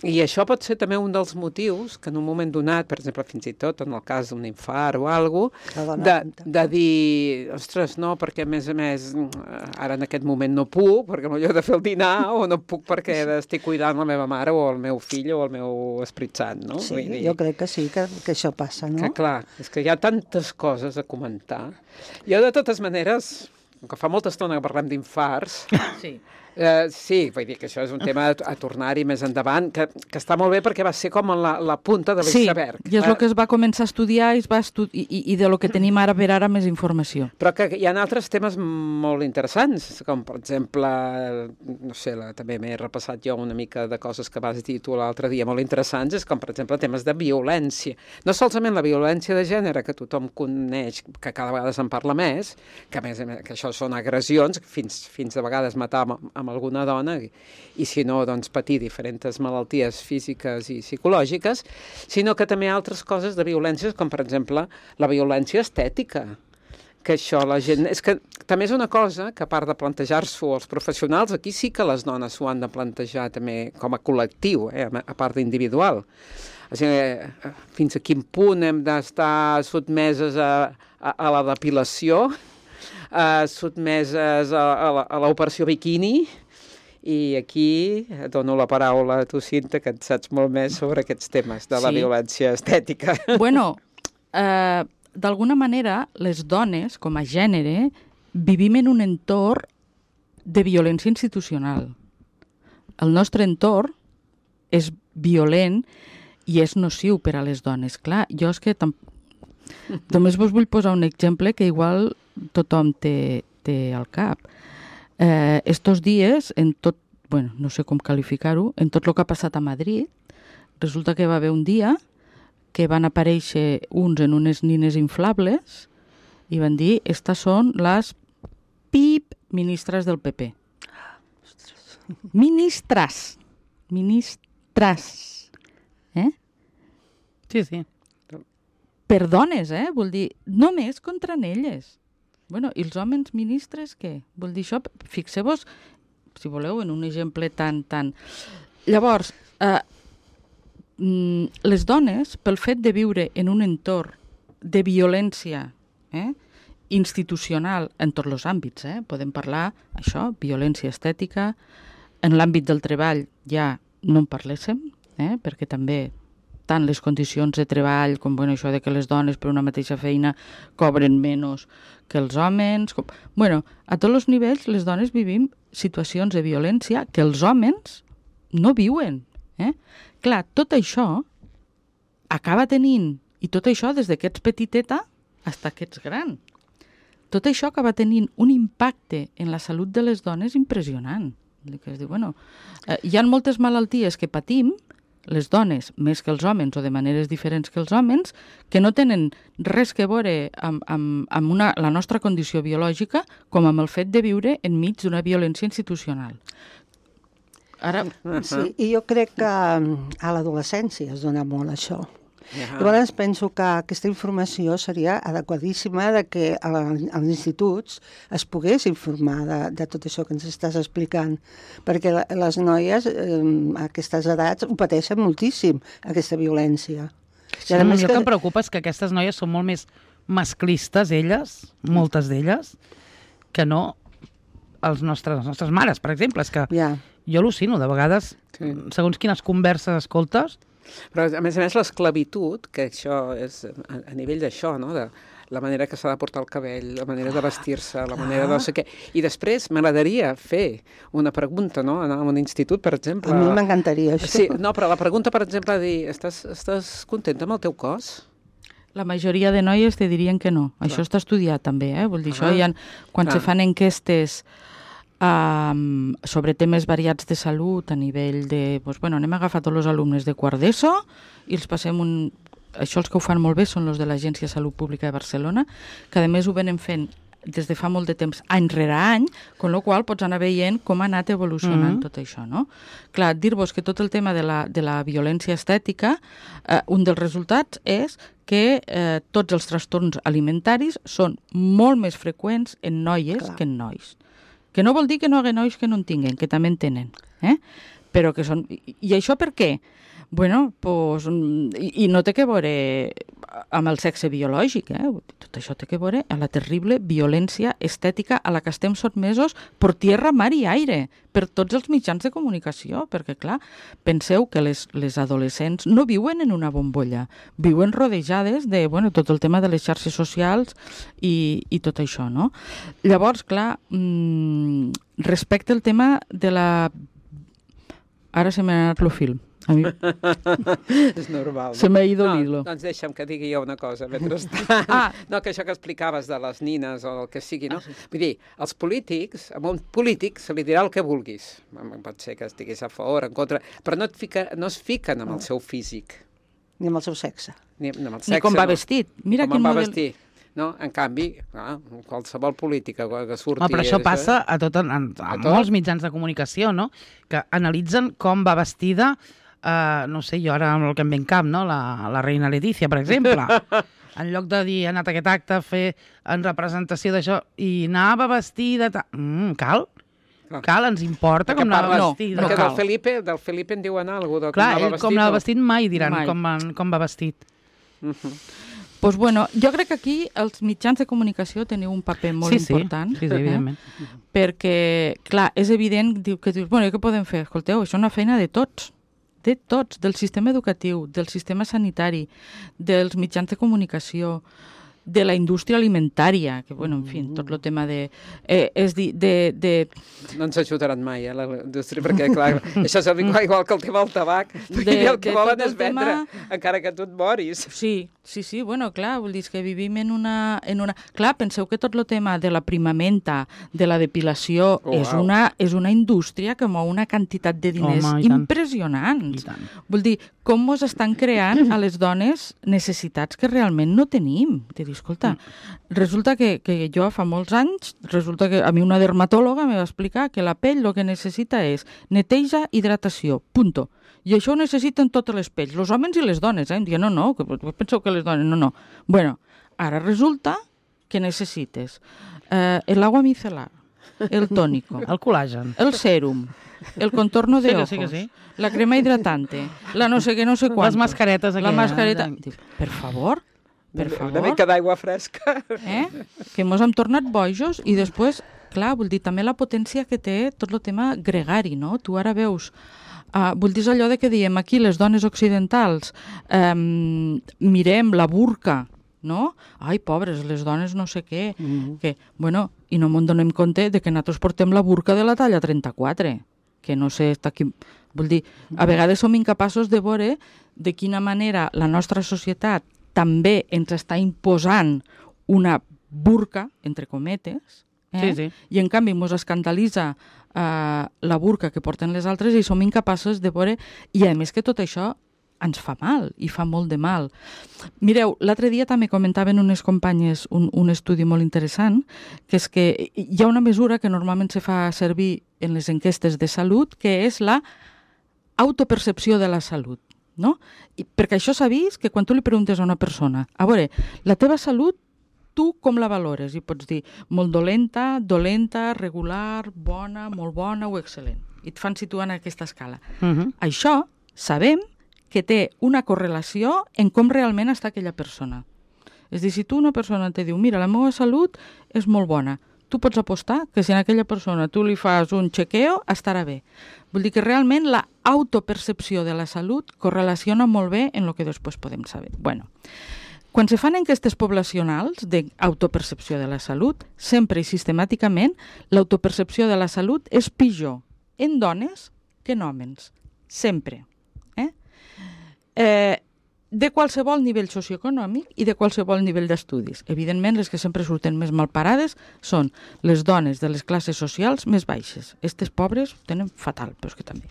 I això pot ser també un dels motius que en un moment donat, per exemple, fins i tot en el cas d'un infart o alguna cosa, de, de dir, ostres, no, perquè a més a més ara en aquest moment no puc, perquè m'ho he de fer el dinar, o no puc perquè estic cuidant la meva mare o el meu fill o el meu Esperit Sant, no? Sí, Vull dir, jo crec que sí, que, que això passa, no? que clar, és que hi ha tantes coses a comentar. Jo, de totes maneres, que fa molta estona que parlem d'infarts, Sí. Uh, sí, vull dir que això és un tema a, a tornar-hi més endavant, que, que està molt bé perquè va ser com la, la punta de l'iceberg. Sí, i és el que es va començar a estudiar i, es va estu i, i de lo que tenim ara per ara més informació. Però que hi ha altres temes molt interessants, com per exemple, no sé, la, també m'he repassat jo una mica de coses que vas dir tu l'altre dia molt interessants, és com per exemple temes de violència. No solament la violència de gènere, que tothom coneix, que cada vegada se'n parla més, que a més a més que això són agressions, fins, fins a vegades matar amb, amb alguna dona, i, i si no, doncs patir diferents malalties físiques i psicològiques, sinó que també altres coses de violències, com per exemple la violència estètica, que això la gent... És que també és una cosa que a part de plantejar-s'ho els professionals, aquí sí que les dones s'ho han de plantejar també com a col·lectiu, eh, a part d'individual. O sigui, fins a quin punt hem d'estar sotmeses a, a, a la depilació, Uh, sotmeses a, a, a l'operació biquini, i aquí dono la paraula a tu, Cinta, que et saps molt més sobre aquests temes de la Sí. violència estètica. Bueno, eh, d'alguna manera, les dones, com a gènere, vivim en un entorn de violència institucional. El nostre entorn és violent i és nociu per a les dones. Clar, jo és que tam... només vos vull posar un exemple que igual tothom té, té al cap. Eh, estos dies, en tot, bueno, no sé com qualificar-ho, en tot el que ha passat a Madrid, resulta que va haver un dia que van aparèixer uns en unes nines inflables i van dir, estas són les pip ministres del P P. Ministres. Ministres. Eh? Sí, sí. Per dones, eh? Vull dir, només contra elles. Bueno, i els homes ministres, què? Vull dir, això, fixeu-vos, si voleu, en un exemple tan... tan... Llavors, eh, les dones, pel fet de viure en un entorn de violència eh, institucional en tots els àmbits, eh? Podem parlar, això, violència estètica, en l'àmbit del treball ja no en parléssim, eh? Perquè també tant les condicions de treball com bueno, això de que les dones per una mateixa feina cobren menys que els homes. Com... Bueno, a tots els nivells les dones vivim situacions de violència que els homes no viuen. Eh? Clar, tot això acaba tenint, i tot això des que ets petiteta fins que ets gran, tot això acaba tenint un impacte en la salut de les dones impressionant. Que es diu, bueno, eh, hi ha moltes malalties que patim, les dones més que els homes o de maneres diferents que els homes, que no tenen res que veure amb, amb, amb una, la nostra condició biològica com amb el fet de viure enmig d'una violència institucional. Ara... Sí, i jo crec que a l'adolescència es dona molt això. Yeah. Llavors penso que aquesta informació seria adequadíssima de que als instituts es pogués informar de, de tot això que ens estàs explicant, perquè les noies eh, a aquestes edats ho pateixen moltíssim, aquesta violència. Sí, I a més el que... que em preocupa és que aquestes noies són molt més masclistes, elles, moltes d'elles, que no els nostres, les nostres mares, per exemple. És que yeah. jo al·lucino, de vegades, sí. segons quines converses escoltes. Però, a més a més, l'esclavitud, que això és a, a nivell d'això, no?, de la manera que s'ha de portar el cabell, la manera de vestir-se, la manera de no sé què. I després m'agradaria fer una pregunta, no?, anar a un institut, per exemple. A mi m'encantaria això. Sí, no, però la pregunta, per exemple, dir, estàs, estàs contenta amb el teu cos? La majoria de noies te dirien que no. Clar. Això està estudiat també, eh? Vull dir, ah, això hi ha, quan clar. se fan enquestes Um, sobre temes variats de salut a nivell de... Doncs, bueno, anem a agafar tots els alumnes de quart d'ESO i els passem un... Això els que ho fan molt bé són els de l'Agència de Salut Pública de Barcelona, que a més ho venen fent des de fa molt de temps, any rere any, con lo qual pots anar veient com ha anat evolucionant mm-hmm. tot això, no? Clar, dir-vos que tot el tema de la, de la violència estètica, eh, un dels resultats és que eh, tots els trastorns alimentaris són molt més freqüents en noies Clar. que en nois. Que no vol dir que no hi hagi nois que no en tinguen, que també en tenen. Eh? Però que són... I, i això per què? Bueno, pues, i, i no té que veure amb el sexe biològic, eh? Tot això té que veure amb la terrible violència estètica a la que estem sotmesos per tierra, mar i aire, per tots els mitjans de comunicació, perquè, clar, penseu que les, les adolescents no viuen en una bombolla, viuen rodejades de, bueno, tot el tema de les xarxes socials i, i tot això, no? Llavors, clar, mmm, respecte al tema de la... Ara se m'ha anat el film. A mi... És normal. Se m'ha ido no, l'hilo. Doncs deixa'm que digui jo una cosa mentrestant. Ah. No, que això que explicaves de les nines o el que sigui, no? Ah, sí. Vull dir, els polítics, a un polític se li dirà el que vulguis. Pot ser que estiguis a favor, en contra, però no, et fica, no es fiquen amb el seu físic. Ni amb el seu sexe. Ni, amb el sexe, Ni com va no. vestit. Mira com quin va model... vestir. No? En canvi, ah, qualsevol política que surti... Oh, però això passa a, tot, a, a, a molts mitjans de comunicació, no? Que analitzen com va vestida, uh, no sé, jo ara amb el que em ve en cap, no? La, la reina Letícia, per exemple. En lloc de dir, ha anat a aquest acte a fer en representació d'això, i anava vestida... Mm, cal? No. Cal, ens importa perquè com anava no, vestida. No, perquè cal. del Felipe, del Felipe en diuen alguna cosa. Clar, com ell com anava vestit mai diran mai. Com, com va vestit. Uh-huh. Pues bueno, jo crec que aquí els mitjans de comunicació teniu un paper molt sí, sí. important. Sí, sí, evidentment. Eh? Perquè, clar, és evident diu, que dius, bueno, què podem fer? Escolteu, això és una feina de tots, de tots, del sistema educatiu, del sistema sanitari, dels mitjans de comunicació, de la indústria alimentària, que, bueno, en fi, tot el tema de... Eh, és dir, de, de... No ens ajudaran mai, eh, la indústria, perquè, clar, això és igual que el tema del tabac, perquè De- el que de volen tot el és vendre, tema- encara que tu et moris. Sí, sí, sí, bueno, clar, vull dir és que vivim en una, en una... Clar, penseu que tot el tema de la primamenta, de la depilació, Oh, és, wow. una, és una indústria que mou una quantitat de diners Home, i tant. impressionants. I tant. Vull dir, com mos estan creant a les dones necessitats que realment no tenim. De dir, escolta, resulta que, que jo fa molts anys, resulta que a mi una dermatòloga me va explicar que la pell el que necessita és neteja, hidratació, punto. I això ho necessiten totes les pells, els homes i les dones. Eh? Em diuen, no, no, que penseu que les dones... No, no. Bueno, ara resulta que necessites eh, el agua micelar, el tónico, El col·làgen. el sèrum, el contorno de Sí que ojos, sí que sí. la crema hidratante, la no sé què, no sé quant. Les mascaretes La aquelles. mascareta. Dius, per favor, per Una favor, mica d'aigua fresca. eh? que mos hem tornat bojos i després, clar, vull dir, també la potència que té tot el tema gregari, no? Tu ara veus... Uh, vull dir, és allò de que diem aquí, les dones occidentals, um, mirem la burca, no? Ai, pobres, les dones no sé què. Mm. Que, bueno, i no ens donem compte de que nosaltres portem la burca de la talla trenta-quatre, que no sé, està aquí... Vull dir, a vegades som incapaços de veure de quina manera la nostra societat també ens està imposant una burca, entre cometes, eh? Sí, sí. I en canvi ens escandalitza eh, la burca que porten les altres i som incapaços de veure... I a més que tot això ens fa mal, i fa molt de mal. Mireu, l'altre dia també comentaven unes companyes un, un estudi molt interessant, que és que hi ha una mesura que normalment se fa servir en les enquestes de salut, que és la autopercepció de la salut. No? I, perquè això s'ha vist que quan tu li preguntes a una persona, a veure, la teva salut, tu com la valores? I pots dir molt dolenta, dolenta, regular, bona, molt bona o excel·lent. I et fan situar en aquesta escala. Uh -huh. Això sabem que té una correlació en com realment està aquella persona. És a dir, si tu una persona te diu, mira, la meva salut és molt bona, tu pots apostar que si a aquella persona tu li fas un chequeo, estarà bé. Vull dir que realment la autopercepció de la salut correlaciona molt bé en el que després podem saber. Bueno, quan se fan enquestes poblacionals d'autopercepció de la salut, sempre i sistemàticament l'autopercepció de la salut és pitjor en dones que en homes. Sempre. Eh? Eh, de qualsevol nivell socioeconòmic i de qualsevol nivell d'estudis. Evidentment, les que sempre surten més malparades són les dones de les classes socials més baixes. Estes pobres ho tenen fatal, però és que també.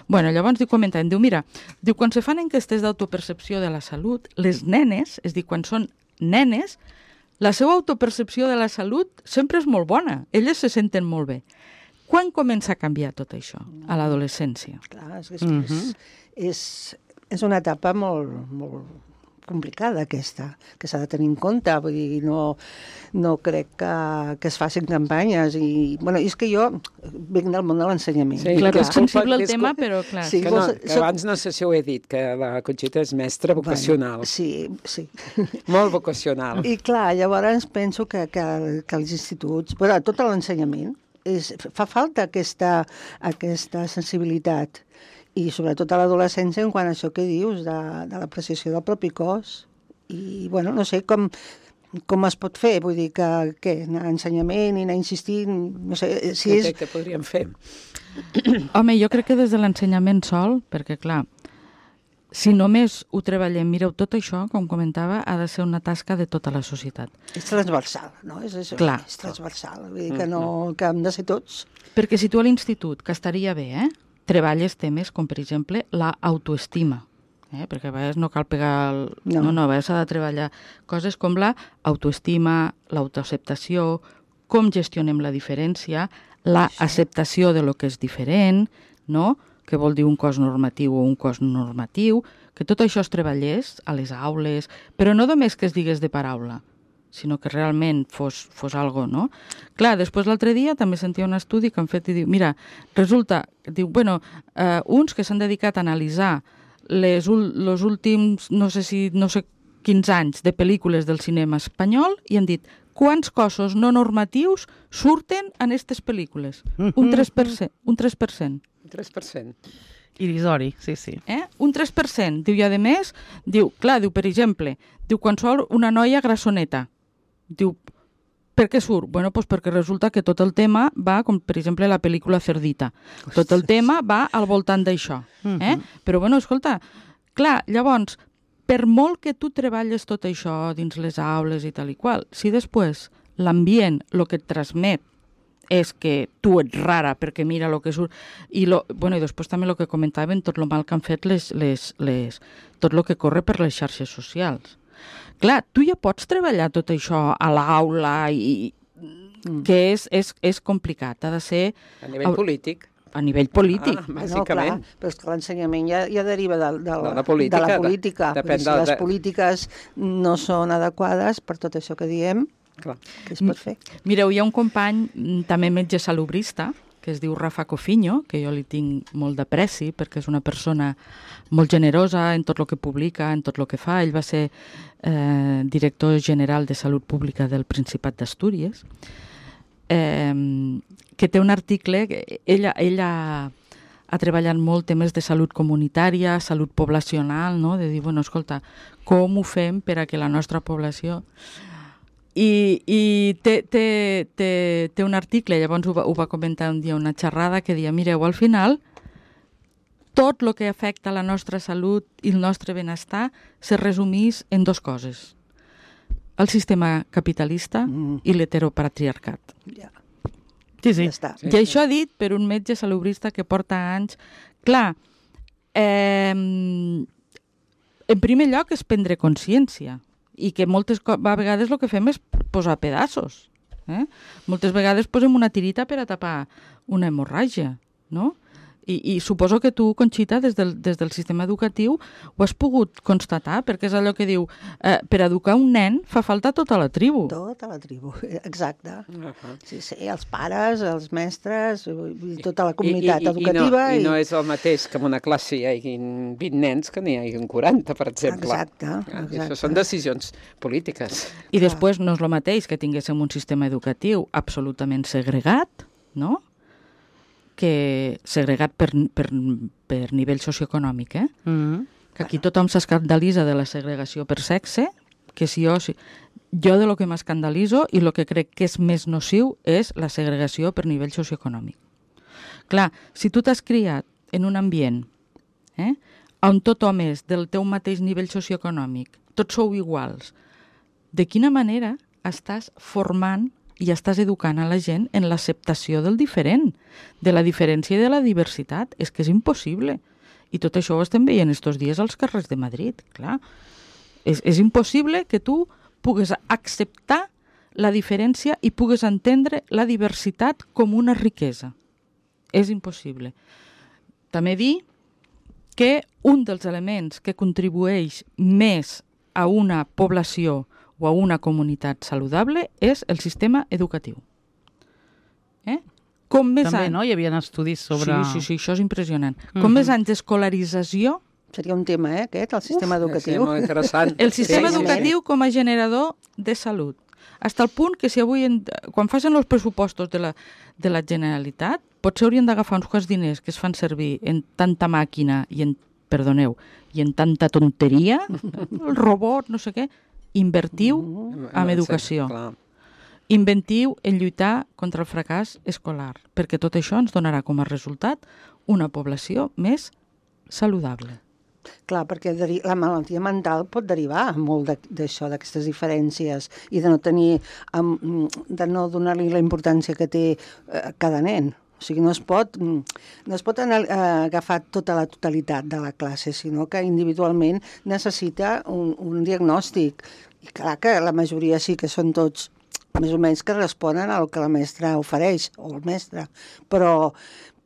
Bueno, llavors diu, comenten, diu, mira, diu, quan se fan enquestes d'autopercepció de la salut, les nenes, és a dir, quan són nenes, la seva autopercepció de la salut sempre és molt bona. Elles se senten molt bé. Quan comença a canviar tot això? A l'adolescència. Clar, és, és, uh -huh. és, és, és una etapa molt, molt complicada aquesta, que s'ha de tenir en compte. Vull dir, no, no crec que, que es facin campanyes. I, bueno, és que jo vinc del món de l'ensenyament. Sí, Clar, que és sensible el disculpa- tema, però clar. Sí, Que, vols- no, que soc- abans no sé si ho he dit, que la Conxita és mestra vocacional. Bueno, sí, sí. Molt vocacional. I clar, llavors penso que, que, que els instituts, però tot l'ensenyament, és, fa falta aquesta, aquesta sensibilitat. I sobretot a l'adolescència en quant a això que dius, de, de l'apreciació del propi cos. I, bueno, no sé com, com es pot fer, vull dir que, què, anar a ensenyament i anar insistint, no sé, si Què, és... què, què podríem fer? Home, jo crec que des de l'ensenyament sol, perquè clar, si només ho treballem, mireu, tot això, com comentava, ha de ser una tasca de tota la societat. És transversal, no? És, és, Clar. és transversal, vull dir que, no, que hem de ser tots. Perquè si tu a l'institut, que estaria bé, eh, treballes temes com, per exemple, l'autoestima, eh, perquè a vegades no cal pegar... El... No. no, no, a vegades s'ha de treballar coses com l'autoestima, l'autoacceptació, com gestionem la diferència, la acceptació de lo que és diferent, no?, que vol dir un cos normatiu o un cos no normatiu, que tot això es treballés a les aules, però no només que es digués de paraula, sinó que realment fos, fos algo, no? Clar, després l'altre dia també sentia un estudi que han fet i diu, mira, resulta, diu, bueno, eh, uns que s'han dedicat a analitzar les los últims, no sé si, no sé quins anys de pel·lícules del cinema espanyol i han dit, quants cossos no normatius surten en aquestes pel·lícules? Un tres per cent. Un tres per cent. tres per cent. Irisori, sí, sí. Eh? Un tres per cent. Diu, i a més, diu, clar, diu, per exemple, diu, quan surt una noia grassoneta, Diu, per què surt? Bueno, pues perquè resulta que tot el tema va, com per exemple la pel·lícula Cerdita, tot el tema va al voltant d'això. Eh? Però bueno, escolta, clar, llavors, per molt que tu treballes tot això dins les aules i tal i qual, si després l'ambient, el que et transmet, és que tu ets rara perquè mira el que surt i, lo, bueno, i després també el que comentaven, tot el mal que han fet les, les, les, tot el que corre per les xarxes socials. Clar, tu ja pots treballar tot això a l'aula i mm. que és, és, és complicat, ha de ser a nivell a, polític. A nivell polític. Ah, bàsicament. No, clar, però és que l'ensenyament ja, ja deriva de, de, la, de la política. De la política. De, depèn si de, les de... polítiques no són adequades per tot això que diem, clar. Què es pot fer? Mireu, hi ha un company, també metge salubrista, que es diu Rafa Cofinho, que jo li tinc molt d'apreci perquè és una persona molt generosa en tot el que publica, en tot el que fa. Ell va ser eh, director general de Salut Pública del Principat d'Astúries, eh, que té un article, ella, ella ha treballat molt temes de salut comunitària, salut poblacional, no? De dir, bueno, escolta, com ho fem per a que la nostra població... I, i té, té, té, té un article, llavors ho va, ho va comentar un dia, una xerrada, que deia, mireu, al final, tot el que afecta la nostra salut i el nostre benestar se resumís en dues coses. El sistema capitalista mm. i l'heteropatriarcat. Ja. Sí, sí. Ja està. Sí, I això dit per un metge salubrista que porta anys... Clar, eh, en primer lloc és prendre consciència, i que moltes vegades el que fem és posar pedaços. Eh? Moltes vegades posem una tirita per a tapar una hemorràgia, no? I, i suposo que tu, Conxita, des del, des del sistema educatiu ho has pogut constatar, perquè és allò que diu, eh, per educar un nen fa falta tota la tribu. Tota la tribu, exacte. Uh -huh. Sí, sí, els pares, els mestres, tota la comunitat I, i, educativa. I no, i no és el mateix que en una classe hi hagin vint nens que n'hi hagin quaranta, per exemple. Exacte, exacte. Això són decisions polítiques. I després no és el mateix que tinguéssim un sistema educatiu absolutament segregat, no?, que segregat per, per, per nivell socioeconòmic, eh? Mm-hmm. Que aquí tothom s'escandalitza de la segregació per sexe, que si jo, si, jo de lo que m'escandalitzo i el que crec que és més nociu és la segregació per nivell socioeconòmic. Clar, si tu t'has criat en un ambient eh, on tothom és del teu mateix nivell socioeconòmic, tots sou iguals, de quina manera estàs formant i estàs educant a la gent en l'acceptació del diferent, de la diferència i de la diversitat? És que és impossible. I tot això ho estem veient estos dies als carrers de Madrid, clar. És, és impossible que tu pugues acceptar la diferència i pugues entendre la diversitat com una riquesa. És impossible. També dir que un dels elements que contribueix més a una població o a una comunitat saludable és el sistema educatiu. Eh? Com més També, anys... no? Hi havia estudis sobre... Sí, sí, sí, això és impressionant. Mm-hmm. Com més anys d'escolarització... Seria un tema, eh, aquest, el sistema Uf, educatiu. Sí, molt interessant. El sistema sí, educatiu sí. com a generador de salut. Fins al punt que si avui, en, quan facin els pressupostos de la, de la Generalitat, potser haurien d'agafar uns quants diners que es fan servir en tanta màquina i en, perdoneu, i en tanta tonteria, el robot, no sé què, invertiu Mm, en sí, educació. clar. Inventiu en lluitar contra el fracàs escolar, perquè tot això ens donarà com a resultat una població més saludable. Clar, perquè la malaltia mental pot derivar molt d'això, d'aquestes diferències, i de no tenir, de no donar-li la importància que té cada nen. O sigui, no es pot, no es pot agafar tota la totalitat de la classe, sinó que individualment necessita un, un diagnòstic. I clar que la majoria sí que són tots més o menys que responen al que la mestra ofereix, o el mestre, però,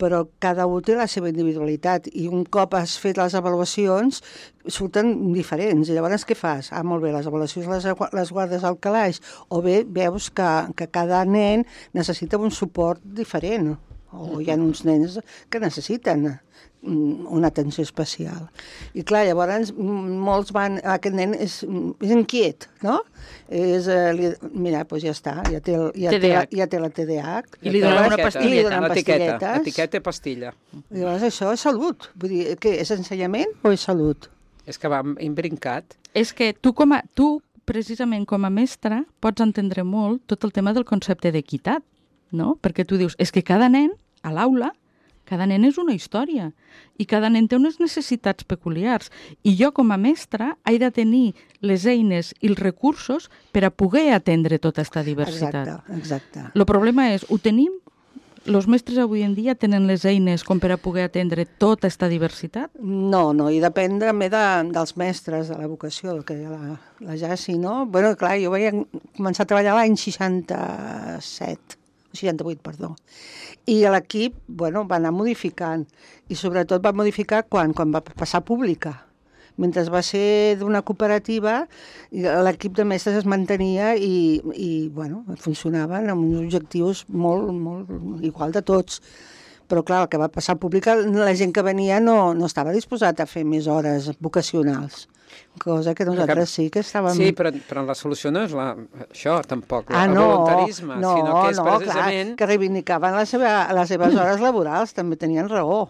però cada un té la seva individualitat i un cop has fet les avaluacions surten diferents. I llavors què fas? Ah, molt bé, les avaluacions les, les guardes al calaix, o bé veus que, que cada nen necessita un suport diferent, o hi ha uns nens que necessiten una atenció especial. I clar, llavors molts van... Aquest nen és, és inquiet, no? És, eh, li, mira, doncs ja està, ja té, ja té, ja té la T D A H. I li donen una pastilleta. L'etiqueta, etiqueta i pastilla. I llavors això és salut. Vull dir, què, és ensenyament o és salut? És que va imbrincat. És que tu, com a, tu precisament com a mestra, pots entendre molt tot el tema del concepte d'equitat, no? Perquè tu dius, és que cada nen, a l'aula, cada nen és una història i cada nen té unes necessitats peculiars. I jo, com a mestra, he de tenir les eines i els recursos per a poder atendre tota aquesta diversitat. Exacte, exacte. El problema és, ho tenim? Els mestres avui en dia tenen les eines com per a poder atendre tota aquesta diversitat? No, no, i depèn també de, dels mestres, de la vocació, el que deia la, la Jaci, no? Bueno, clar, jo vaig començar a treballar l'any seixanta-set, seixanta-vuit, perdó. I l'equip, bueno, va anar modificant, i sobretot va modificar quan, quan va passar pública. Mentre va ser d'una cooperativa, l'equip de mestres es mantenia i, i bueno, funcionaven amb uns objectius molt, molt igual de tots. Però, clar, el que va passar pública, la gent que venia no, no estava disposat a fer més hores vocacionals. Cosa que nosaltres sí que estàvem... Sí, però, però la solució no és la, això, tampoc, ah, el no, voluntarisme, no, sinó que és no, precisament... Clar, que reivindicaven la seva, les seves hores laborals, també tenien raó.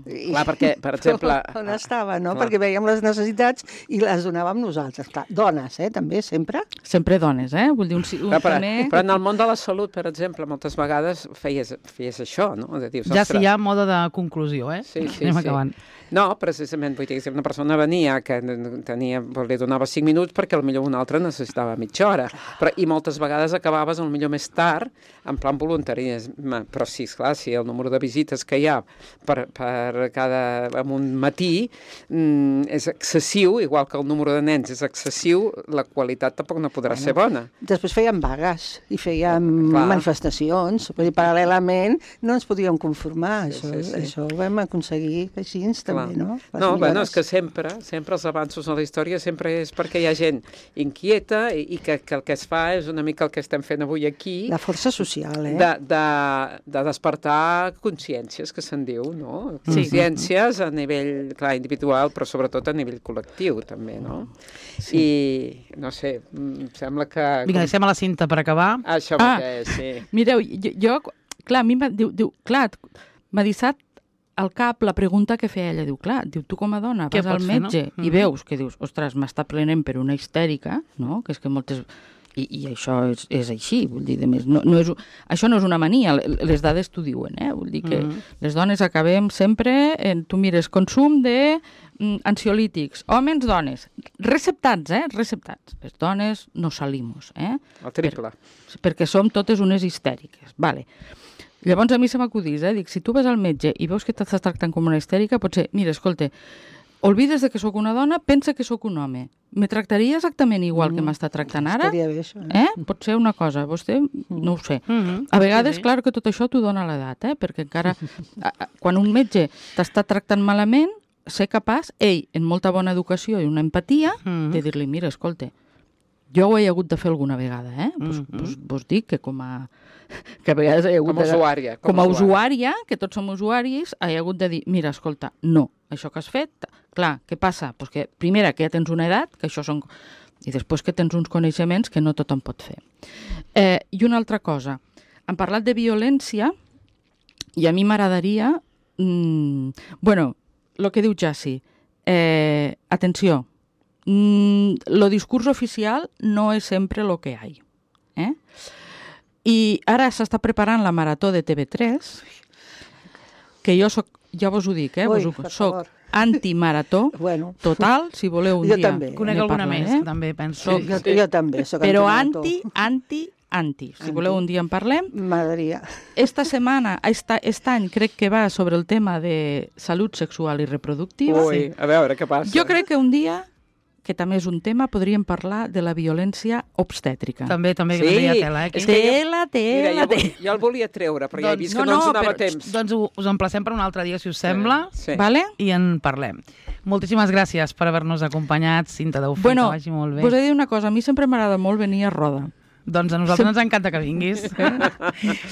I... Clar, perquè, per exemple... On estava, no? Clar. Perquè veiem les necessitats i les donàvem nosaltres. Clar, dones, eh, també, sempre. Sempre dones, eh? Vull dir, un, un Clar, però, també... però en el món de la salut, per exemple, moltes vegades feies, feies això, no? De dius, Ja si hi ha moda de conclusió, eh? Sí, sí, Anem sí. acabant. No, precisament, vull dir que si una persona venia que tenia, li donava cinc minuts perquè potser una altra necessitava mitja hora. Però, I moltes vegades acabaves potser més tard, en plan voluntarisme. Però sí, esclar, si el número de visites que hi ha per, per cada, en un matí mm, és excessiu, igual que el número de nens és excessiu, la qualitat tampoc no podrà bueno, ser bona. Després fèiem vagues i fèiem Clar. manifestacions. Vull dir, paral·lelament no ens podíem conformar. Sí, això, sí, sí. això ho vam aconseguir així també. No, no bueno, és que sempre, sempre els avanços en la història sempre és perquè hi ha gent inquieta i, i que, que el que es fa és una mica el que estem fent avui aquí. La força social, eh? De, de, de despertar consciències, que se'n diu, no? Consciències sí. a nivell, clar, individual, però sobretot a nivell col·lectiu, també, no? Sí. I, no sé, em sembla que... Vinga, deixem a la cinta per acabar. Això ah, mateix, sí. Mireu, jo, jo clar, a mi m'ha diu, diu, clar, m'ha dissat al cap la pregunta que feia ella, diu, clar, diu, tu com a dona Què vas al pots fer, metge no? i Mm. veus que dius, ostres, m'està plenent per una histèrica, no? Que és que moltes... I, i això és, és així, vull dir, de més, no, no és, això no és una mania, les dades t'ho diuen, eh? Vull dir que Mm. les dones acabem sempre, en, tu mires, consum de mm, ansiolítics, homes, dones, receptats, eh? Receptats. Les dones no salimos, eh? El triple. Per, perquè som totes unes histèriques, vale. Llavors a mi se m'acudís, eh? Dic, si tu vas al metge i veus que t'estàs tractant com una histèrica, potser, mira, escolta, olvides de que sóc una dona, pensa que sóc un home. Me tractaria exactament igual mm. que m'està tractant ara? Estaria bé, això. Eh? Eh? Pot ser una cosa, vostè no ho sé. Mm -hmm. A vegades, sí, sí. clar que tot això t'ho dona l'edat, eh? Perquè encara, a, a, quan un metge t'està tractant malament, ser capaç, ell, en molta bona educació i una empatia, mm -hmm. de dir-li, mira, escolta, jo ho he hagut de fer alguna vegada, eh? Pues, Mm-hmm. pues, vos dic que com a... que a vegades he hagut Com a de... usuària. Com, com a usuària, que tots som usuaris, he hagut de dir, mira, escolta, no, això que has fet, clar, què passa? Pues que, primera, que ja tens una edat, que això són... i després que tens uns coneixements que no tothom pot fer. Eh, I una altra cosa, hem parlat de violència i a mi m'agradaria... Mmm, bueno, el que diu Jaci, eh, atenció, mm, lo discurs oficial no és sempre lo que hay. Eh? I ara s'està preparant la marató de T V tres, que jo soc, ja vos ho dic, eh? Ui, vos ho, per soc favor. antimarató Bueno. total, si voleu un Jo dia. també. Conec ne alguna parlaré, més, eh? que també penso. Jo, jo també soc Però antimarató. anti, anti, anti. Si Anti. voleu un dia en parlem. M'agradaria. Esta setmana, esta, aquest any, crec que va sobre el tema de salut sexual i reproductiva. Ui, a veure què passa. Jo crec que un dia, que també és un tema, podríem parlar de la violència obstètrica. També, també, Sí, que també hi ha tela, eh? és aquí. que jo- Tela, Mira, tela, jo, tela. jo el volia treure, però ja he Doncs- vist no, que no, ens no, donava però- temps. Doncs ho- us emplacem per un altre dia, si us sembla, Sí. Vale? i en parlem. Moltíssimes gràcies per haver-nos acompanyat, Cinta Daufí, Bueno, que vagi molt bé. vos he de dir una cosa, a mi sempre m'agrada molt venir a Roda. Doncs a nosaltres ens encanta que vinguis.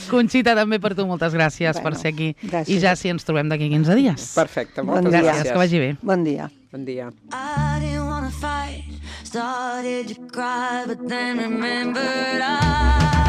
Conxita, també per tu, moltes gràcies Bueno, per ser aquí. gràcies. I ja si ens trobem d'aquí quinze dies. Perfecte, Bon moltes dia. Gràcies, gràcies. que vagi bé. Bon dia. Bon dia. I didn't wanna fight, started to cry, but then remembered I